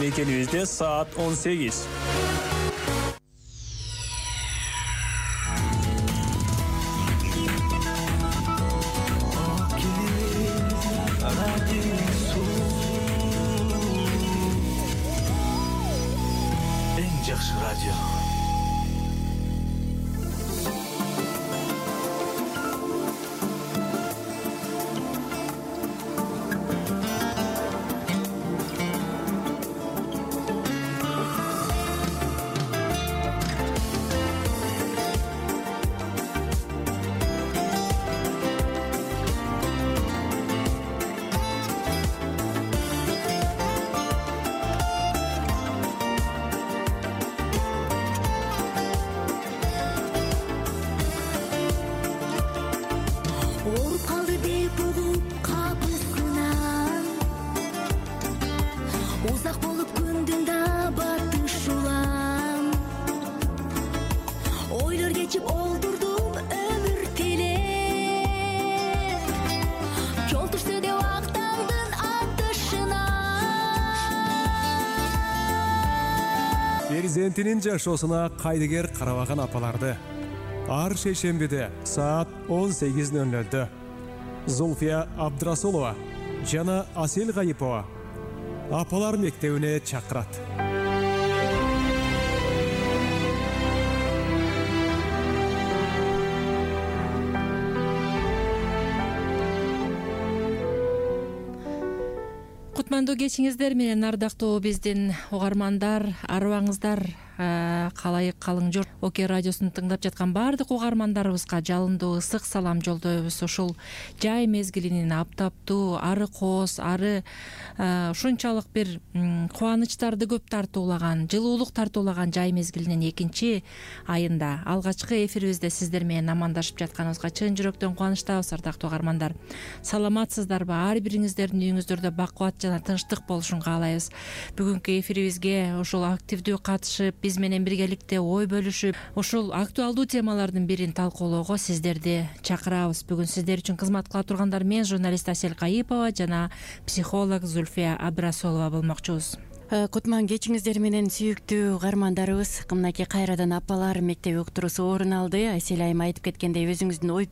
Мекенибизде саат 18. Eng жакшы радио. Перзентинин жашоосуна кайдыгер карабаган апаларды ар шейшембиде саат 18:00 Зульфия Абдрасулова жана Асел Гайипова апалар мектебине чакырат. Кутмандуу кечиңиздер менен ардактуу биздин угармандар, арыбаңыздар, калайык калың журт. ОК радиосун тыңдап жаткан баардык угармандарыбызга жалындуу ысык салам жолдойбуз. Ушул жай мезгилинин аптаптуу, ары кооз, ары ушунчалык бир кубанычтарды көп тартуулаган, жылуулук тартуулаган жай мезгилинин 2 айында алгачкы эфирибизде сиздер менен амандашып жатканыбызга чын жүрөктөн кубанычтабыз, ардактуу угармандар. Саламатсыздарбы? Ар бириңиздердин үйүңүздөрдө бакубат жана тынчтык болушун каалайбыз. Бүгүнкү эфирибизге ушул активдүү катышып, биз менен биргеликте ой бөлүшүп, ушул актуалдуу темалардын бирин талкуулоого сиздерди чакырабыз. Бүгүн сиздер үчүн кызмат кыла тургандар мен журналист Асел Гайипова жана психолог Зульфия Абдрасулова болмокчубуз. Кутман кечиңиздер менен сүйүктүү угармандарыбыз, мынакей кайрадан апалар мектеби уктуруусу орун алды. Айсел айым айтып кеткендей, өзүңүздүн ой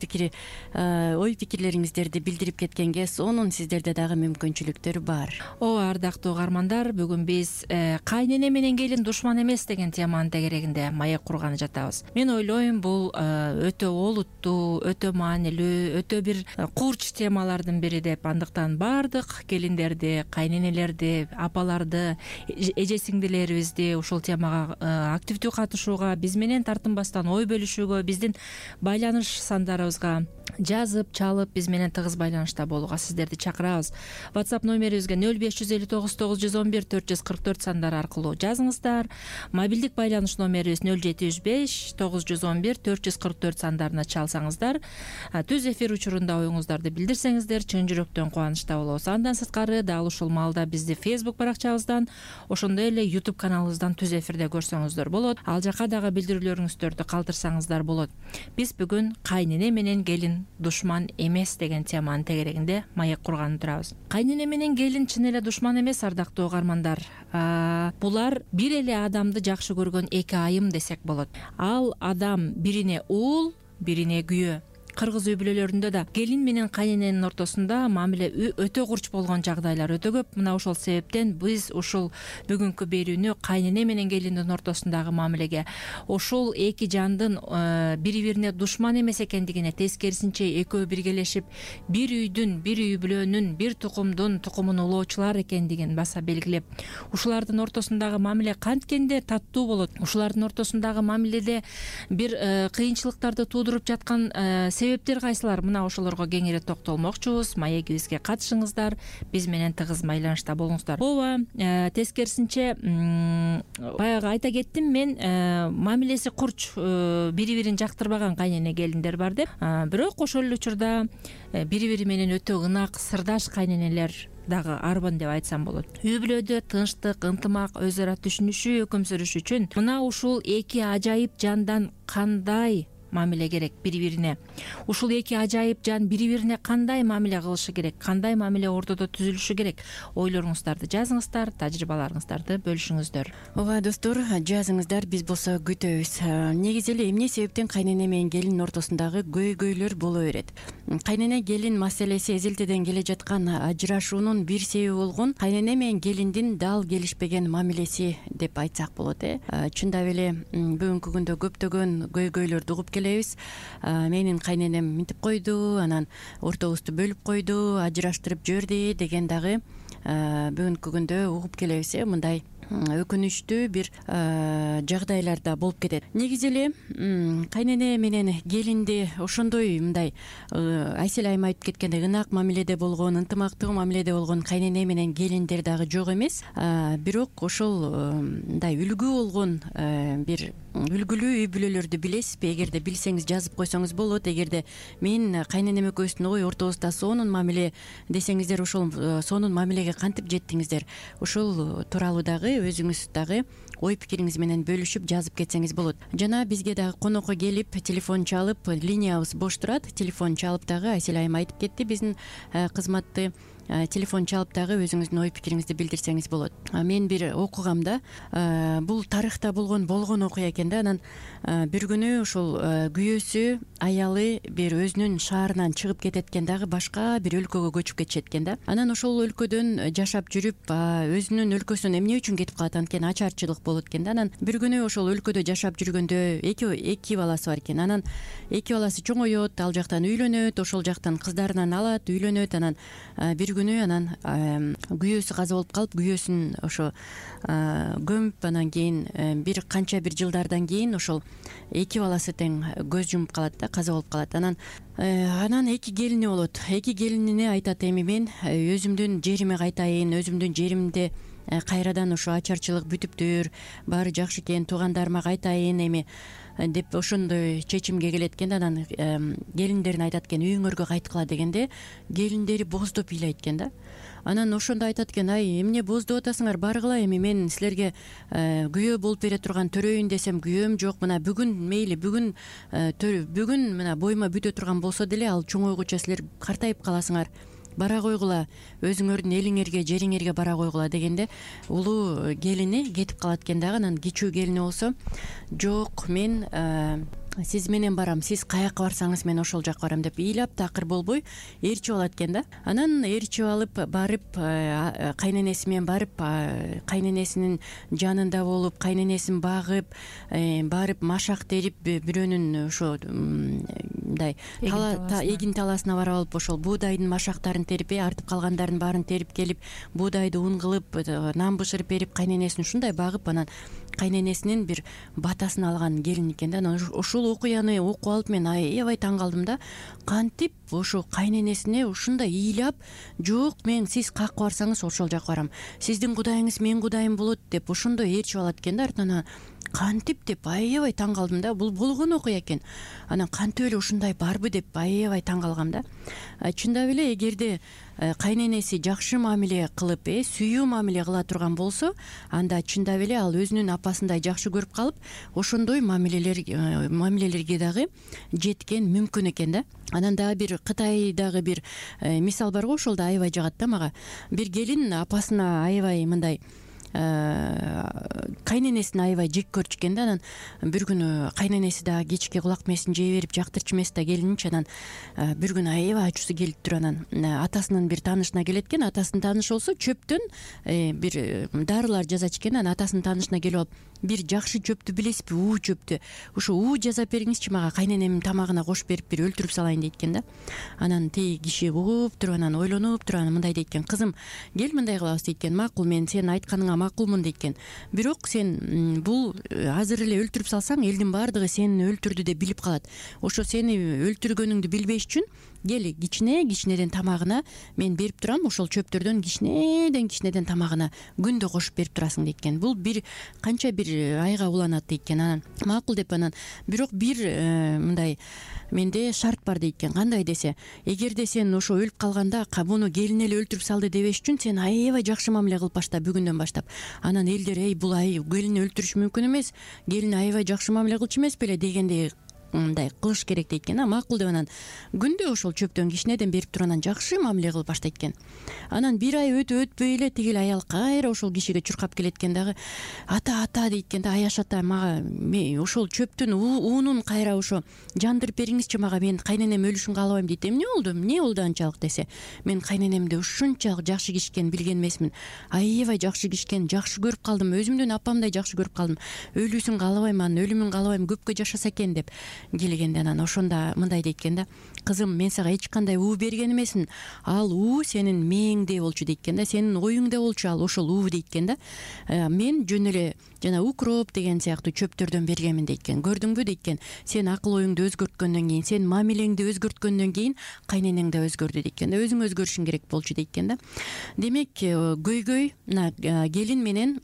пикирлериңиздерди билдирип кеткенге сонун сиздерде дагы мүмкүнчүлүктөр бар. Ооба, ардактуу угармандар, бүгүн биз кайнене менен келин душман эмес деген теманын тегерегинде маек курганы жатабыз. Мен ойлойм, бул өтө олуттуу, өтө маанилүү, өтө бир курч темалардын бири деп. Андыктан баардык келиндерди, кайненелерди, апаларды, эже-сиңдилерибизди ушул темага активдүү катышууга, биз менен тартынбастан ой бөлүшүүгө, биздин байланыш сандарыбызга жазып, чалып, биз менен тыгыз байланышта болууга сиздерди чакырабыз. WhatsApp номерибизге 0559 911 444 сандары аркылуу жазыңыздар. Мобилдик байланыш номерибиз 0735 911 444 сандарына чалсаңыздар, түз эфир учурунда оюңуздарды билдирсеңиздер, чын жүрөктөн кубанычта болобуз. Андан сырткары дал ушул маалда бизди Facebook баракчабыздан, ошондой эле YouTube каналыбыздан түз эфирде көрсөңүздөр болот. Ал жака дагы билдирүүлөрүңүздөрдү калтырсаңыздар болот. Биз бүгүн кайнене менен келин душман эмес деген теманын тегерегинде маек курганы турабыз. Кайнене менен келин чын эле душман эмес, ардактуу угармандар. Булар бир эле адамды жакшы көргөн эки айым десек болот. Ал адам бирине уул, бирине күйөө. Кыргыз үй бүлөлөрүндө да келин менен кайнененин ортосунда мамиле өтө курч болгон жагдайлар өтө көп. Мына ошол себептен биз ушул бүгүнкү берүүнү кайнене менен келиндин ортосундагы мамилеге, ошол эки жандын бири-бирине душман эмес экендигине, тескерисинче экөө биргелешип бир үйдүн, бир үй бүлөнүн, бир тукумдун тукумун улоочулар экендигин баса белгилеп, ушулардын ортосундагы мамиле канткенде таттуу болот, ушулардын ортосундагы мамиледе бир кыйынчылыктарды туудуруп жаткан себептер кайсылар, мына ошолорго кеңири токтолмокчубуз. Маегибизге катышыңыздар, биз менен тыгыз байланышта болуңуздар. Ооба, тескерисинче баягы айта кеттим мен, мамилеси курч, бири-бирин жактырбаган кайнене келиндер бар деп. Бирок ошол эле учурда бири-бири менен өтө ынак, сырдаш кайненелер дагы арбын деп айтсам болот. Үй бүлөдө тынчтык, ынтымак, өзара түшүнүшүү, өкүм сүрүш үчүн мына ушул эки ажайып жандан кандай мамиле керек бири бирине. Ушул эки ажайып жан бири бирине кандай мамиле кылышы керек, кандай мамиле ортодо түзүлүшү керек? Ойлоруңуздарды жазыңыздар, тажрыйбаларыңыздарды бөлүшүңүздөр. Ооба достор, жазыңыздар, биз болсо күтөбүз. Негизи эле эмне себептен кайнене менен келин ортосундагы көйгөйлөр боло берет? Кайнене келин маселеси эзелтеден келе жаткан ажырашуунун бир себеби болгон кайнене менен келиндин дал келишпеген мамилеси деп айтсак болот. Чындап эле бүгүнкү күндө көптөгөн көйгөйлөрдү угуп келебиз. Менин кайненем мынтип койду, анан ортобузду бөлүп койду, ажыраштырып жиберди деген дагы бүгүнкү күндө угуп келебиз. Мындай өкүнүчтүү бир жагдайлар да болуп кетет. Негизи эле кайнене менен келинди ошондой мындай Айсел айым айтып кеткендей ынак мамиледе болгон, ынтымактуу мамиледе болгон кайнене менен келиндер дагы жок эмес. Бирок ошол мындай үлгү болгон бир үлгүлүү үй бүлөлөрдү билесизби? Эгерде билсеңиз жазып койсоңуз болот. Эгерде мен кайненем экөөбүздүн ой ортобузда сонун мамиле десеңиздер, ошол сонун мамилеге кантип жеттиңиздер? Ошол тууралуу дагы өзүңүз дагы ой пикириңиз менен бөлүшүп жазып кетсеңиз болот. Жана бизге дагы конокко келип телефон чалып, линиябыз бош турат. Телефон чалып дагы Айсел айым айтып кетти, биздин кызматты телефон чалып дагы өзүңүздүн ой пикириңизди билдирсеңиз болот. Мен бир окугамда, бул тарыхта болгон окуя экен да. Анан бир күнү ушул күйөөсү, аялы бир өзүнүн шаарынан чыгып кетет экен, дагы башка бир өлкөгө көчүп кетишет экен да. Анан ошол өлкөдөн жашап жүрүп, өзүнүн өлкөсүнөн эмне үчүн кетип калат? Анткени ачарчылык болот экен да. Анан бир күнү ошол өлкөдө жашап жүргөндө эки баласы бар экен. Анан эки баласы чоңоет, ал жактан үйлөнөт, ошол жактан кыздарынан алат, үйлөнөт. Анан бир күнү анан күйөөсү каза болуп калып, күйөөсүн ошо көмүп, анан кийин бир канча бир жылдардан кийин ошол эки баласы тең көз жумуп калат да, каза болуп калат. Анан эки келини болот. Эки келинине айтат, эми мен өзүмдүн жериме кайтайын, өзүмдүн жеримде кайрадан ошо ачарчылык бүтүптүр, баары жакшы экен, туугандарыма кайтайын эми деп ошондой чечимге келет экен. Анан келиндерине айтат экен, үйүңөргө кайткыла дегенде, келиндери боздоп ыйлайт экен да. Анан ошондо айтат экен, ай эмне боздоп атасыңар, баргыла, эми мен силерге күйөө болуп бере турган төрөйүн десем күйөөм жок. Мына бүгүн мейли, бүгүн мына боюма бүтө турган болсо деле, ал чоңойгуча силер картайып каласыңар, бара койгула, өзүңөрдүн элиңерге, жериңерге бара койгула дегенде, улуу келини кетип калат экен дагы. Анан кичүү келини болсо, жок, мен сиз менен барам, сиз каяка барсаңыз мен ошол жака барам деп ыйлап такыр болбой ээрчип алат экен да. Анан ээрчип алып барып, кайненеси менен барып, кайненесинин жанында болуп, кайненесин багып, барып машак терип, бирөөнүн ошо мындай эгин таласына барып алып, ошол буудайдын машактарын терип, артып калгандарын баарын терип келип, буудайды ун кылып, нан бышырып берип, кайненесин ушундай багып, анан кайненесинин бир батасын алган келин экен да. Анан ушул окуяны окуп алып мен аябай таң калдым да. Кантип ошо кайненесине ушундай ыйлап, жок, мен сиз каякка барсаңыз ошол жака барам, сиздин кудайыңыз менин кудайым болот деп ошондой ээрчип алат экен да артынан. Кантип деп аябай таң калдым да. Бул болгон окуя экен. Анан кантип эле ушундай барбы деп аябай таң калгам да. Чындап эле эгерде кайненеси жакшы мамиле кылып, сүйүү мамиле кыла турган болсо, анда чындап эле ал өзүнүн апасындай жакшы көрүп калып, ошондой мамилелерге дагы жеткен мүмкүн экен да. Анан дагы бир Кытайдагы бир мисал бар го, ошол да аябай жагат да мага. Бир келин апасына аябай мындай кайненесин аябай жек көрчү экен да. Анан бир күнү кайненеси дагы кечке кулак мээсин жей берип жактырчу эмес да келининчи. Анан бир күнү аябай ачуусу келип туруп, анан атасынын бир таанышына келет экен. Атасынын таанышы болсо чөптөн бир дарылар жасачу экен. Анан атасынын таанышына келип алып, бир жакшы чөптү билесизби, уу чөптү, ушу уу жасап бериңизчи мага, кайненемдин тамагына кошуп берип бир өлтүрүп салайын дейт экен да. Анан тиги киши угуп туруп, анан ойлонуп туруп, анан мындай дейт экен, кызым, кел мындай кылабыз дейт экен, макул, мен сенин айтканыңа макулмун дейт экен. Бирок сен бул азыр эле өлтүрүп салсаң, элдин баардыгы сени өлтүрдү деп билип калат. Ошо сени өлтүргөнүңдү билбеш үчүн кел, кичинеден тамагына мен берип турам, ошол чөптөрдөн кичинеден тамагына күндө кошуп берип турасың дейт экен. Бул бир канча бир айга уланат дейт экен. Анан макул деп, анан бирок бир мындай менде шарт бар дейт экен. Кандай десе, эгерде сен ошо өлүп калганда буну келин эле өлтүрүп салды дебеш үчүн сен аябай жакшы мамиле кылып башта, бүгүндөн баштап. Анан элдер, бул келини өлтүрүш мүмкүн эмес, келин аябай жакшы мамиле кылчу эмес беле дегендей мындай кылыш керек дейт экен, макул деп анан күндө ошол чөптөн кичинеден берип туруп анан жакшы мамиле кылып баштайт экен. Анан бир ай өтпөй эле тигил аял кайра ошол кишиге чуркап келет экен дагы, ата дейт экен да, Аяш ата, мага ошол чөптүн уунун кайра ошо жандырып бериңизчи мага, мен кайненем өлүшүн каалабайм дейт. Эмне болду анчалык десе, мен кайненемди ушунчалык жакшы кишкен билген эмесмин, аябай жакшы кишкен, жакшы көрүп калдым, өзүмдөн апамдай жакшы көрүп калдым, өлүүсүн каалабайм, анын өлүмүн каалабайм, көпкө жашаса экен деп келгенде анан ошондо мындай дейт экен да, кызым, мен сага эч кандай уу берген эмесмин, ал уу сенин мээңде болчу дейт экен да, сенин оюңда болчу ал ошол уу дейт экен да, мен жөн эле жана укроп деген сыяктуу чөптөрдөн бергенмин дейт экен. Көрдүңбү дейт экен, сен акыл оюңду өзгөрткөндөн кийин, сен мамилеңди өзгөрткөндөн кийин кайненең да өзгөрдү дейт экен да, өзүң өзгөрүшүң керек болчу дейт экен да. Демек көйгөй, мына келин менен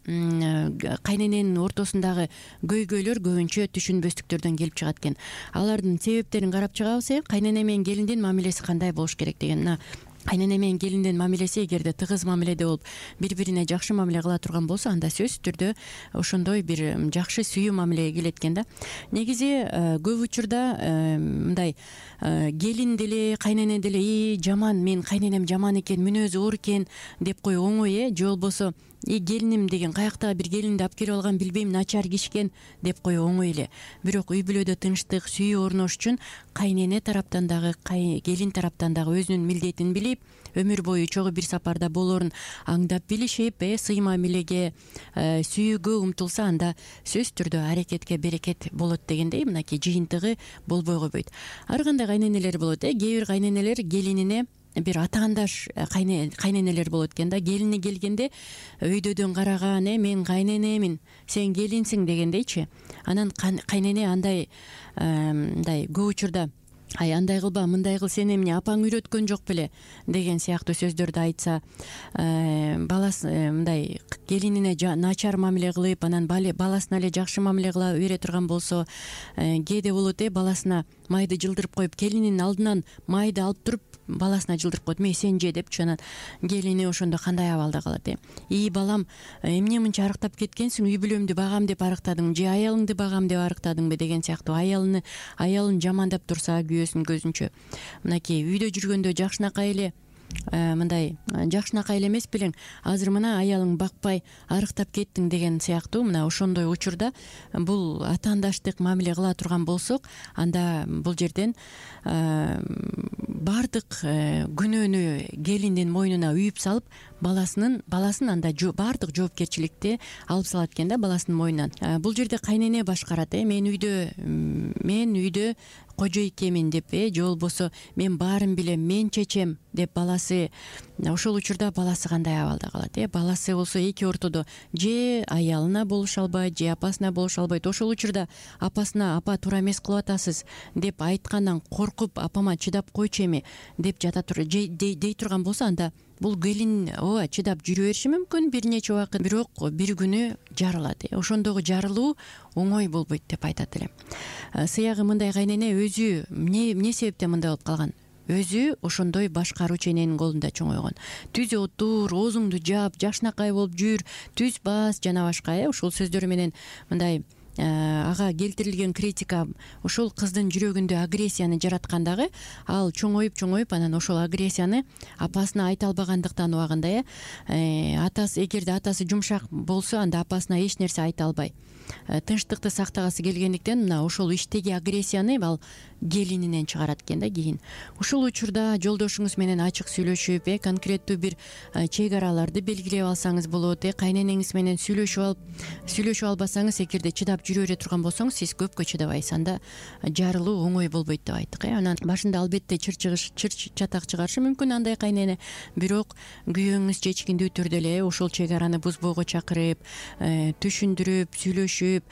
кайнененин ортосундагы көйгөйлөр көбүнчө түшүнбөстүктөрдөн келип чыгат экен. Алардын себептерин карап чыгабыз. Кайнене менен келиндин мамилеси кандай болуш керек деген. Мына кайнене менен келиндин мамилеси эгерде тыгыз мамиледе болуп, бири-бирине жакшы мамиле кыла турган болсо, анда сөзсүз түрдө ошондой бир жакшы сүйүү мамилеге келет экен да. Негизи көп учурда мындай келин деле кайнене деле жаман, мен кайненем жаман экен, мүнөзү оор экен деп коюу оңой, же болбосо келиним деген каяктагы бир келинди алып келип алган, билбейм, начар кишкен деп коюу оңой эле. Бирок үй бүлөдө тынчтык, сүйүү орнош үчүн кайнене тараптан дагы, келин тараптан дагы өзүнүн милдетин билип, өмүр бою чогуу бир сапарда болоорун аңдап билишип, сый мамилеге, сүйүүгө умтулса, анда сөзсүз түрдө аракетке берекет болот дегендей, мынакей жыйынтыгы болбой койбойт. Ар кандай кайненелер болот, кээ бир кайненелер келинине бир атаандаш кайненелер болот экен да. Келини келгенде өйдөдөн караган, мен кайненемин, сен келинсиң дегендейчи. Анан кайнене андай мындай көп учурда, андай кылба, мындай кыл, сени эмне апаң үйрөткөн жок беле деген сыяктуу сөздөрдү айтса, баласы мындай келинине начар мамиле кылып, анан баласына эле жакшы мамиле кыла бере турган болсо, кээде болот, баласына майды жылдырып коюп, келининин алдынан майды алып туруп баласына жылдырып коет, мен сен же депчи. Анан келини ошондо кандай абалда калат? Балам, эмне мынча арыктап кеткенсиң, үй бүлөмдү багам деп арыктадың, же аялыңды багам деп арыктадыңбы деген сыяктуу аялын жамандап турса күйөөсүнүн көзүнчө, мынакей үйдө жүргөндө жакшынакай эле мындай жакшынакай эле эмес белең, азыр мына аялың бакпай арыктап кеттиң деген сыяктуу, мына ошондой учурда бул атаандаштык мамиле кыла турган болсок, анда бул жерден баардык күнөөнү келиндин мойнуна үйүп салып, баласын анда баардык жоопкерчиликти алып салат экен да, баласынын мойнунан. Бул жерде кайнене башкарат, мен үйдө кожойкемин деп, же болбосо мен баарын билем, мен чечем деп баласы, ошол учурда баласы кандай абалда калат? Баласы болсо эки ортодо, же аялына болуша албайт, же апасына болуша албайт. Ошол учурда апасына, апа туура эмес кылып атасыз деп айткандан коркуп, апама чыдап койчу эми деп дей турган болсо, анда бул келин чыдап жүрө бериши мүмкүн бир нече убакыт, бирок бир күнү жарылат. Ошондогу жарылуу оңой болбойт деп айтат элем. Сыягы мындай кайнене өзү эмне себептен мындай болуп калган? Өзү ошондой башкаруу чененин колунда чоңойгон. Түз отур, оозуңду жап, жакшынакай болуп жүр, түз бас жана башка. Ушул сөздөр менен мындай ага келтирилген критика ошол кыздын жүрөгүндө агрессияны жараткандагы, ал чоңоюп анан ошол агрессияны апасына айта албагандыктан убагында, атасы, эгерде атасы жумшак болсо, анда апасына эч нерсе айта албай тынчтыкты сактагысы келгендиктен, мына ошол иштеги агрессияны ал келининен чыгарат экен да. Кийин ушул учурда жолдошуңуз менен ачык сүйлөшүп, конкреттүү бир чек араларды белгилеп алсаңыз болот. Кайненеңиз менен сүйлөшүп албасаңыз, эгерде чыдап жүрө бере турган болсоңуз, сиз көпкө чыдабайсыз, анда жарылуу оңой болбойт деп айттык. Анан башында албетте чыр чатак чыгарышы мүмкүн андай кайнене, бирок күйөөңүз чечкиндүү түрдө эле ошол чек араны бузбоого чакырып, түшүндүрүп, сүйлөшүп,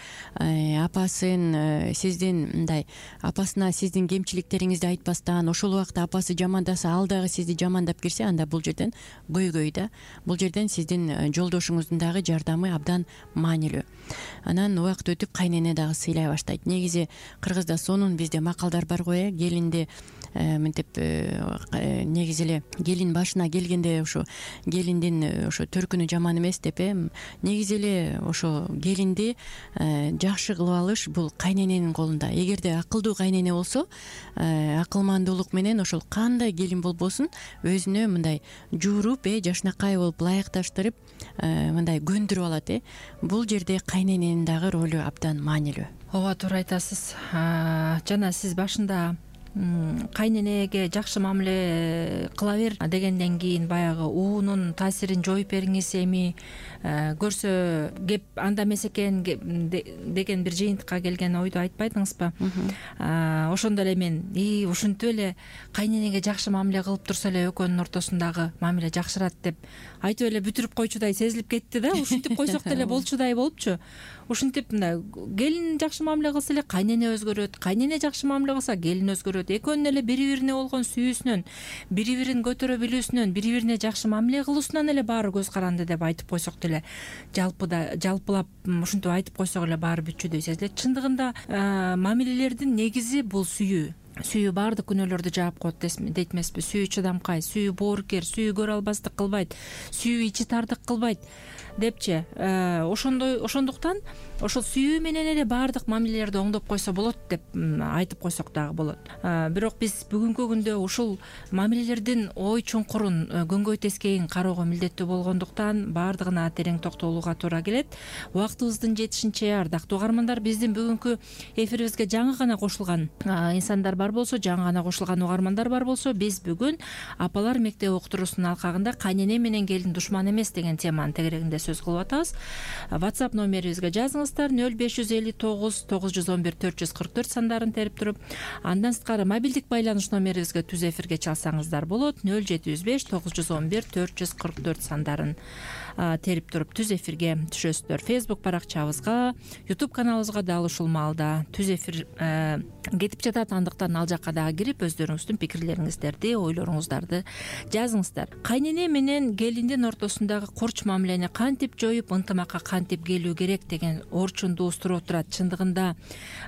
апасын сиздин мындай, апасына сиздин кемчиликтериңизди айтпастан, ошол убакта апасы жамандаса, ал дагы сизди жамандап кирсе, анда бул жерден көйгөй да. Бул жерден сиздин жолдошуңуздун дагы жардамы абдан маанилүү. Анан убакыт өтүп кайнене дагы сыйлай баштайт. Негизи кыргызда сонун бизде макалдар бар го, келинди мынтип негизи эле келин башына келгенде ошо келиндин ошо төркүнү жаман эмес деп негизи эле ошо келинди жакшы кылып алыш бул кайнененин колунда. Эгерде акылдуу кайнене болсо акылмандуулук менен ошол кандай келин болбосун өзүнө мындай жууруп жашынакай болуп ылайыкташтырып мындай көндүрүп алат. Бул жерде кайнененин дагы ролу абдан маанилүү. Ооба, туура айтасыз. Жана сиз башында кайненеге жакшы мамиле кыла бер дегенден кийин баягы уунун таасирин жоюп бериңиз, эми көрсө кеп анда эмес экен деген бир жыйынтыкка келген ойду айтпадыңызбы? Ошондо эле мен ушинтип эле кайненеге жакшы мамиле кылып турса эле экөөнүн ортосундагы мамиле жакшырат деп айтып эле бүтүрүп койчудай сезилип кетти да. Ушинтип койсок деле болчудай болупчу. Ушинтип мындай келин жакшы мамиле кылса эле кайнене өзгөрөт, кайнене жакшы мамиле кылса келин өзгөрөт. Экөөнүн эле бири бирине болгон сүйүүсүнөн, бири бирин көтөрө билүүсүнөн, бири бирине жакшы мамиле кылуусунан эле баары көз каранды деп айтып койсок деле, жалпылап ушинтип айтып койсок эле баары бүтчүдөй сезилет. Чындыгында мамилелердин негизи бул сүйүү. Сүйүү баардык күнөөлөрдү жаап коет дейт эмеспи? Сүйүү чыдамкай, сүйүү боорукер, сүйүү көрө албастык кылбайт, сүйүү ичи тардык кылбайт депчи. Ошондуктан ошол сүйүү менен эле баардык мамилелерди оңдоп койсо болот деп айтып койсок дагы болот. Бирок биз бүгүнкү күндө ушул мамилелердин ой чуңкурун, көңгөй тескейин кароого милдеттүү болгондуктан баардыгына терең токтолууга туура келет. Убактыбыздын жетишинче, ардактуу угармандар, биздин бүгүнкү эфирибизге жаңы гана кошулган инсандар бар болсо, жаңы гана кошулган угармандар бар болсо, биз бүгүн апалар мектеби уктуруусунун алкагында кайнене менен келин душман эмес деген теманын тегерегинде сөз кылып атабыз. WhatsApp номерибизге жазыңыздар 0559 911 444 сандарын терип туруп, андан сырткары мобилдик байланыш номерибизге түз эфирге чалсаңыздар болот. 0705 911 444 сандарын терип туруп түз эфирге түшөсүздөр. Facebook баракчабызга, YouTube каналыбызга дал ушул маалда түз эфир кетип жатат. Андыктан ал жакка дагы кирип өздөрүңүздүн пикирлериңиздерди, ойлоруңуздарды жазыңыздар. Кайнене менен келиндин ортосундагы курч мамилени кантип жоюп, ынтымакка кантип келүү керек деген орчунду устуруп турат. Чындыгында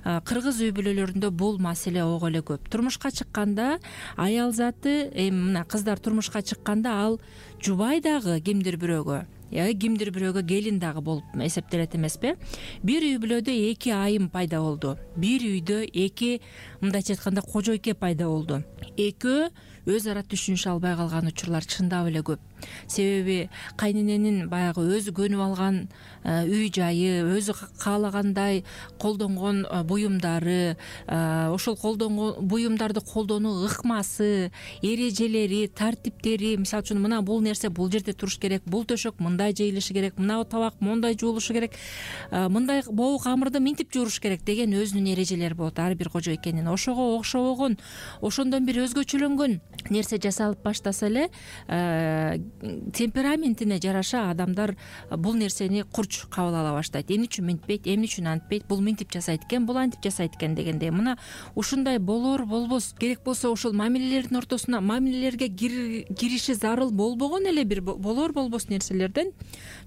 кыргыз үй бүлөлөрүндө бул маселе ого эле көп. Турмушка чыкканда аял заты, мына кыздар турмушка чыкканда ал жубай дагы кимдир бирөөгө, кимдир бирөөгө келин дагы болуп эсептелет эмеспи? Бир үй бүлөдө эки айым пайда болду. Бир үйдө эки, мындайча айтканда, кожойке пайда болду. Экөө өз ара түшүнүшө албай калган учурлар чындап эле көп. Себеби кайнененин баягы өзү көнүп алган үй жайы, өзү каалагандай колдонгон буюмдары, ошол колдонгон буюмдарды колдонуу ыкмасы, эрежелери, тартиптери, мисалы үчүн мына бул нерсе бул жерде туруш керек, бул төшөк мындай жыйылышы керек, мына табак мондай жуулушу керек, мындай боо камырды минтип жууруш керек деген өзүнүн эрежелери болот ар бир кожойкенин. Ошого окшобогон, ошондон бир өзгөчөлөнгөн нерсе жасалып баштаса эле темпераментине жараша адамдар бул нерсени курч кабыл ала баштайт. Эмне үчүн мынтпейт, эмне үчүн антпейт, бул мынтип жасайт экен, бул антип жасайт экен дегендей. Мына ушундай болор болбос, керек болсо ошол мамилелердин ортосуна мамилелерге кириши зарыл болбогон эле бир болор болбос нерселерден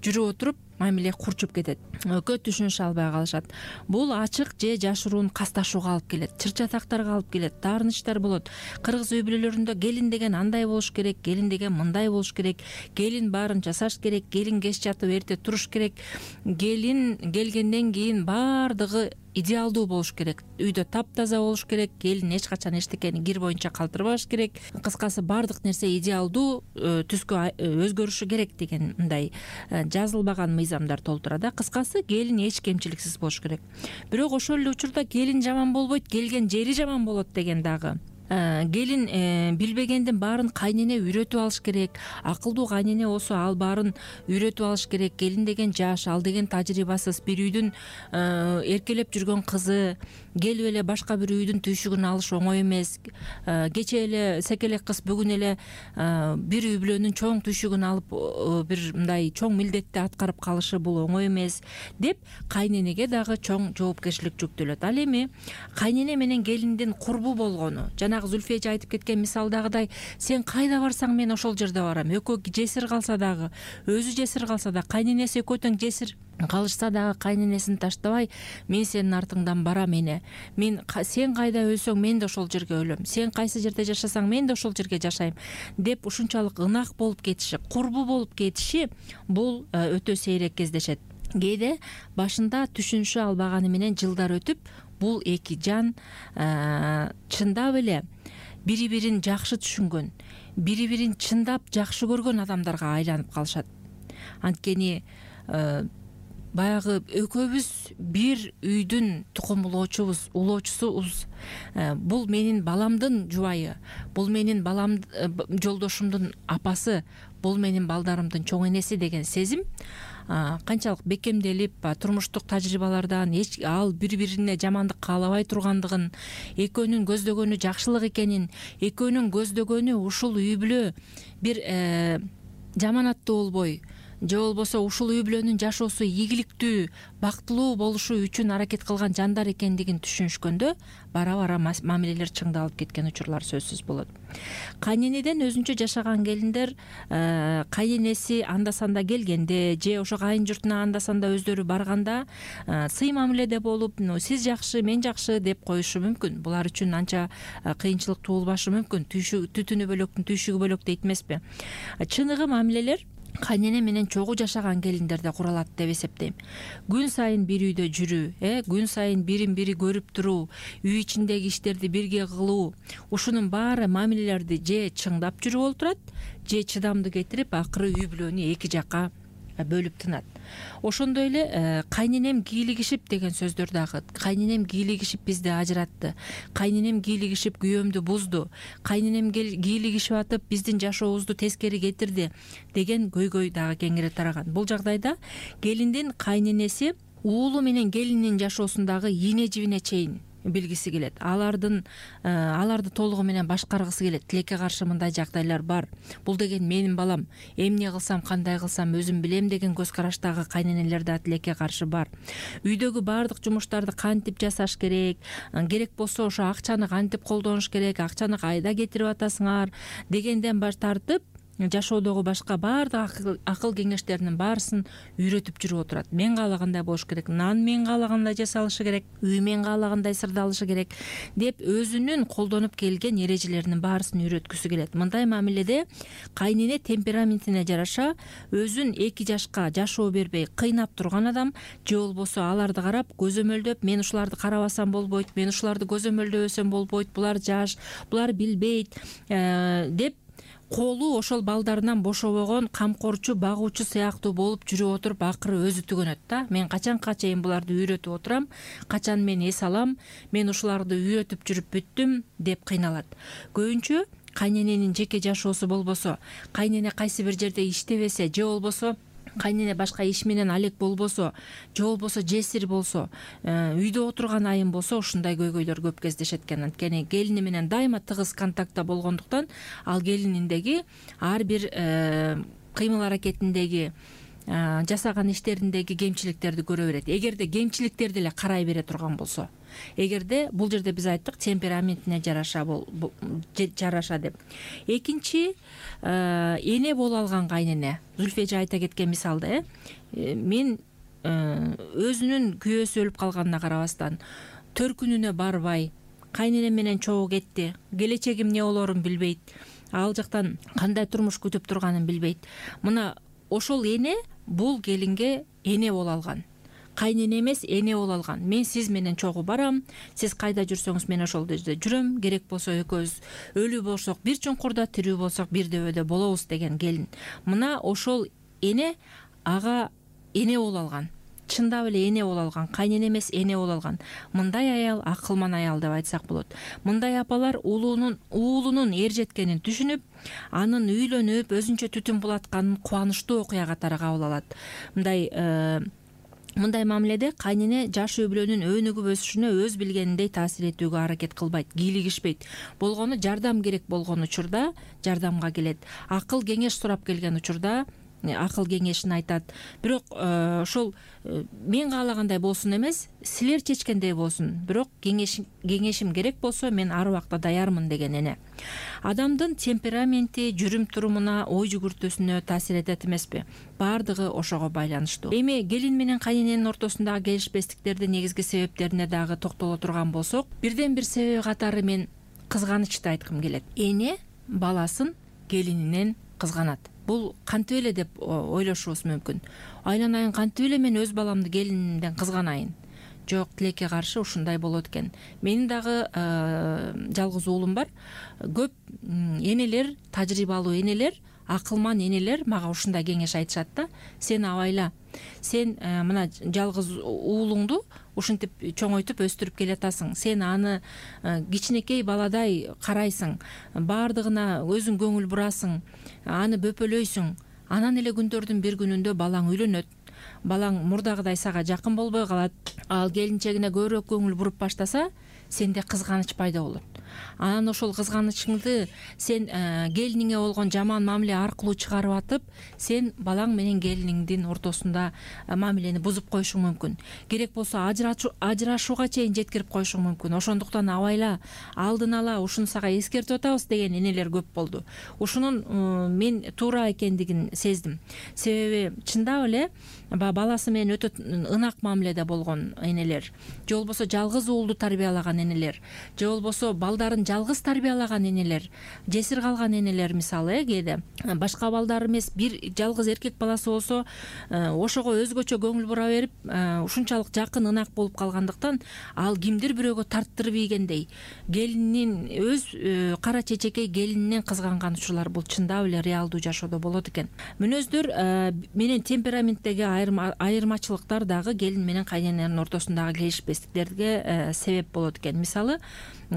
жүрүп отуруп мамиле курчуп кетет. Экөө түшүнүшө албай калышат. Бул ачык же жашыруун касташууга алып келет, чыр-чатактарга алып келет, таарынычтар болот. Кыргыз үй бүлөлөрүндө келин деген андай болуш керек, келин деген мындай болуш керек, келин баарын жасаш керек, келин кеч жатып эрте туруш керек, келин келгенден кийин баардыгы идеалдуу болуш керек, үйдө таптаза болуш керек, келин эч качан эчтекени кир боюнча калтырбаш керек. Кыскасы баардык нерсе идеалдуу түскө өзгөрүшү керек деген мындай жазылбаган мыйзамдар толтурат. Кыскасы келин эч кемчиликсиз болуш керек. Бирок ошол эле учурда келин жаман болбойт, келген жери жаман болот деген дагы. Келин билбегендин баарын кайнене үйрөтүп алыш керек. Акылдуу кайнене болсо ал баарын үйрөтүп алыш керек. Келин деген жаш, ал деген тажрыйбасыз, бир үйдүн эркелеп жүргөн кызы, келип эле башка бир үйдүн түйшүгүн алыш оңой эмес. Кечээ эле секелек кыз бүгүн эле бир үй бүлөнүн чоң түйшүгүн алып бир мындай чоң милдетти аткарып калышы бул оңой эмес деп кайненеге дагы чоң жоопкерчилик жүктөлөт. Ал эми кайнене менен келиндин курбу болгону жана жанагы Зүлфия эже айтып кеткен мисалдагыдай сен кайда барсаң мен ошол жерде барам. Экөө жесир калса дагы, өзү жесир калса да, кайненеси экөө тең жесир калышса дагы кайненесин таштабай мен сенин артыңдан барам эне. Сен кайда өлсөң мен да ошол жерге өлөм. Сен кайсы жерде жашасаң мен да ошол жерге жашайм деп ушунчалык ынак болуп кетиши, курбу болуп кетиши бул өтө сейрек кездешет. Кээде башында түшүнүшө албаганы менен жылдар өтүп бул эки жан чындап эле бири-бирин жакшы түшүнгөн, бири-бирин чындап жакшы көргөн адамдарга айланып калышат. Анткени баягы экөөбүз бир үйдүн тукумулоочубуз, улоочусубуз. Бул менин баламдын жубайы, бул менин жолдошумдун апасы, бул менин балдарымдын чоң энеси деген сезим канчалык бекемделип, турмуштук тажрыйбалардан ал бири-бирине жамандык каалабай тургандыгын, экөөнүн көздөгөнү жакшылык экенин, экөөнүн көздөгөнү ушул үй бүлө бир жаманаттуу болбой, же болбосо ушул үй бүлөнүн жашоосу ийгиликтүү, бактылуу болушу үчүн аракет кылган жандар экендигин түшүнүшкөндө бара-бара мамилелер чыңдалып кеткен учурлар сөзсүз болот. Кайненеден өзүнчө жашаган келиндер кайненеси анда-санда келгенде же ошо кайын журтуна анда-санда өздөрү барганда сый мамиледе болуп, сиз жакшы, мен жакшы деп коюшу мүмкүн. Булар үчүн анча кыйынчылык туулбашы мүмкүн. Түтүнү бөлөктүн түйшүгү бөлөк дейт эмеспи? Чыныгы мамилелер кайнене менен чогуу жашаган келиндерде куралат деп эсептейм. Күн сайын бир үйдө жүрүү, күн сайын бирин бири көрүп туруу, үй ичиндеги иштерди бирге кылуу, ушунун баары мамилелерди же чыңдап жүрүп олтурат, же чыдамды кетирип акыры үй бүлөнү эки жакка бөлүп тынат. Ошондой эле кайненем кийлигишип деген сөздөр дагы. Кайненем кийлигишип бизди ажыратты. Кайненем кийлигишип күйөөмдү бузду. Кайненем кийлигишип атып биздин жашообузду тескери кетирди деген көйгөй дагы кеңири тараган. Бул жагдайда келиндин кайненеси уулу менен келининин жашоосундагы ийне жибине чейин билгиси келет. Аларды толугу менен башкаргысы келет. Тилекке каршы мындай жагдайлар бар. Бул деген менин балам. Эмне кылсам, кандай кылсам өзүм билем деген көз караштагы кайненелер да тилекке каршы бар. Үйдөгү баардык жумуштарды кантип жасаш керек, керек болсо ошо акчаны кантип колдонуш керек, акчаны кайда кетирип атасыңар дегенден баш тартып жашоодогу башка баардык акыл кеңештеринин баарысын үйрөтүп жүрүп отурат. Мен каалагандай болуш керек, нан мен каалагандай жасалышы керек, үй мен каалагандай сырдалышы керек деп өзүнүн колдонуп келген эрежелеринин баарысын үйрөткүсү келет. Мындай мамиледе кайнене темпераментине жараша өзүн эки жашка жашоо бербей кыйнап турган адам, же болбосо аларды карап көзөмөлдөп, мен ушуларды карабасам болбойт, мен ушуларды көзөмөлдөбөсөм болбойт, булар жаш, булар билбейт деп колу ошол балдарынан бошобогон камкорчу, багуучу сыяктуу болуп жүрүп отуруп акыры өзү түгөнөт да. Мен качанга чейин буларды үйрөтүп отурам, качан мен эс алам, мен ушуларды үйрөтүп жүрүп бүттүм деп кыйналат. Көбүнчө кайнененин жеке жашоосу болбосо, кайнене кайсы бир жерде иштебесе, же болбосо кайнене башка иш менен алек болбосо, же болбосо жесир болсо, үйдө отурган айым болсо ушундай көйгөйлөр көп кездешет экен. Анткени келини менен дайыма тыгыз контактта болгондуктан ал келининдеги ар бир кыймыл аракетиндеги, жасаган иштериндеги кемчиликтерди көрө берет. Эгерде кемчиликтерди эле карай бере турган болсо, эгерде бул жерде биз айттык темпераментине жараша деп. Экинчи, эне боло алган кайнене. Зүлфия эже айта кеткен мисалда, мен өзүнүн күйөөсү өлүп калганына карабастан төркүнүнө барбай, кайненем менен чогуу кетти, келечегим эмне болорун билбейт, ал жактан кандай турмуш күтүп турганын билбейт. Мына ошол эне бул келинге эне боло алган. Кайнене эмес, эне боло алган. Мен сиз менен чогуу барам, сиз кайда жүрсөңүз мен ошол жерде жүрөм, керек болсо экөөбүз өлүү болсок бир чуңкурда, тирүү болсок бир дөбөдө болобуз деген келин. Мына ошол эне ага эне боло алган. Чындап эле эне боло алган, кайнене эмес, эне боло алган. Мындай аял акылман аял деп айтсак болот. Мындай апалар уулунун эр жеткенин түшүнүп, анын үйлөнүп, өзүнчө түтүн булатканын кубанычтуу окуя катары кабыл алат. Мындай мамиледе кайнене жаш үй бүлөнүн өнүгүп өсүшүнө өз билгениндей таасир этүүгө аракет кылбайт, кийлигишпейт. Болгону жардам керек болгон учурда жардамга келет. Акыл кеңеш сурап келген учурда акыл кеңешин айтат. Бирок ошол мен каалагандай болсун эмес, силер чечкендей болсун. Бирок кеңешим керек болсо мен ар убакта даярмын деген эне. Адамдын темпераменти жүрүм турумуна, ой жүгүртүүсүнө таасир этет эмеспи? Баардыгы ошого байланыштуу. Эми келин менен кайнененин ортосундагы келишпестиктердин негизги себептерине дагы токтоло турган болсок, бирден бир себеби катары мен кызганычты айткым келет. Эне баласын келининен кызганат. Бул кантип эле деп ойлошубуз мүмкүн. Айланайын, кантип эле мен өз баламды келинимден кызганайын? Жок, тилекке каршы ушундай болот экен. Менин дагы жалгыз уулум бар. Көп энелер, тажрыйбалуу энелер, акылман энелер мага ушундай кеңеш айтышат да. Сен абайла. Сен мына жалгыз уулуңду ушинтип чоңойтуп өстүрүп келатасың. Сен аны кичинекей баладай карайсың. Баардыгына өзүң көңүл бурасың. Аны бөпөлөйсүң. Анан эле күндөрдүн бир күнүндө балаң үйлөнөт. Балаң мурдагыдай сага жакын болбой калат. Ал келинчегине көбүрөөк көңүл буруп баштаса, сенде кызганыч пайда болот. Анан ошол кызганычыңды сен келиниңе болгон жаман мамиле аркылуу чыгарып атып, сен балаң менен келиниңдин ортосунда мамилени бузуп коюшуң мүмкүн. Керек болсо ажырашууга чейин жеткирип коюшуң мүмкүн. Ошондуктан абайла, алдын ала ушуну сага эскертип атабыз деген энелер көп болду. Ушунун мен туура экендигин сездим. Себеби чындап эле баласы менен өтө ынак мамиледе болгон энелер, же болбосо жалгыз уулду тарбиялаган энелер, же болбосо балдарын жалгыз тарбиялаган энелер, жесир калган энелер, мисалы кээде башка балдары эмес, бир жалгыз эркек баласы болсо ошого өзгөчө көңүл бура берип, ушунчалык жакын ынак болуп калгандыктан ал кимдир бирөөгө тарттырып ийгендей, келинин өз кара чечекей келининен кызганган учурлар бул чындап эле реалдуу жашоодо болот экен. Мүнөздөр менен темпераменттеги айырмачылыктар дагы келин менен кайнененин ортосундагы келишпестиктерге себеп болот экен. Мисалы,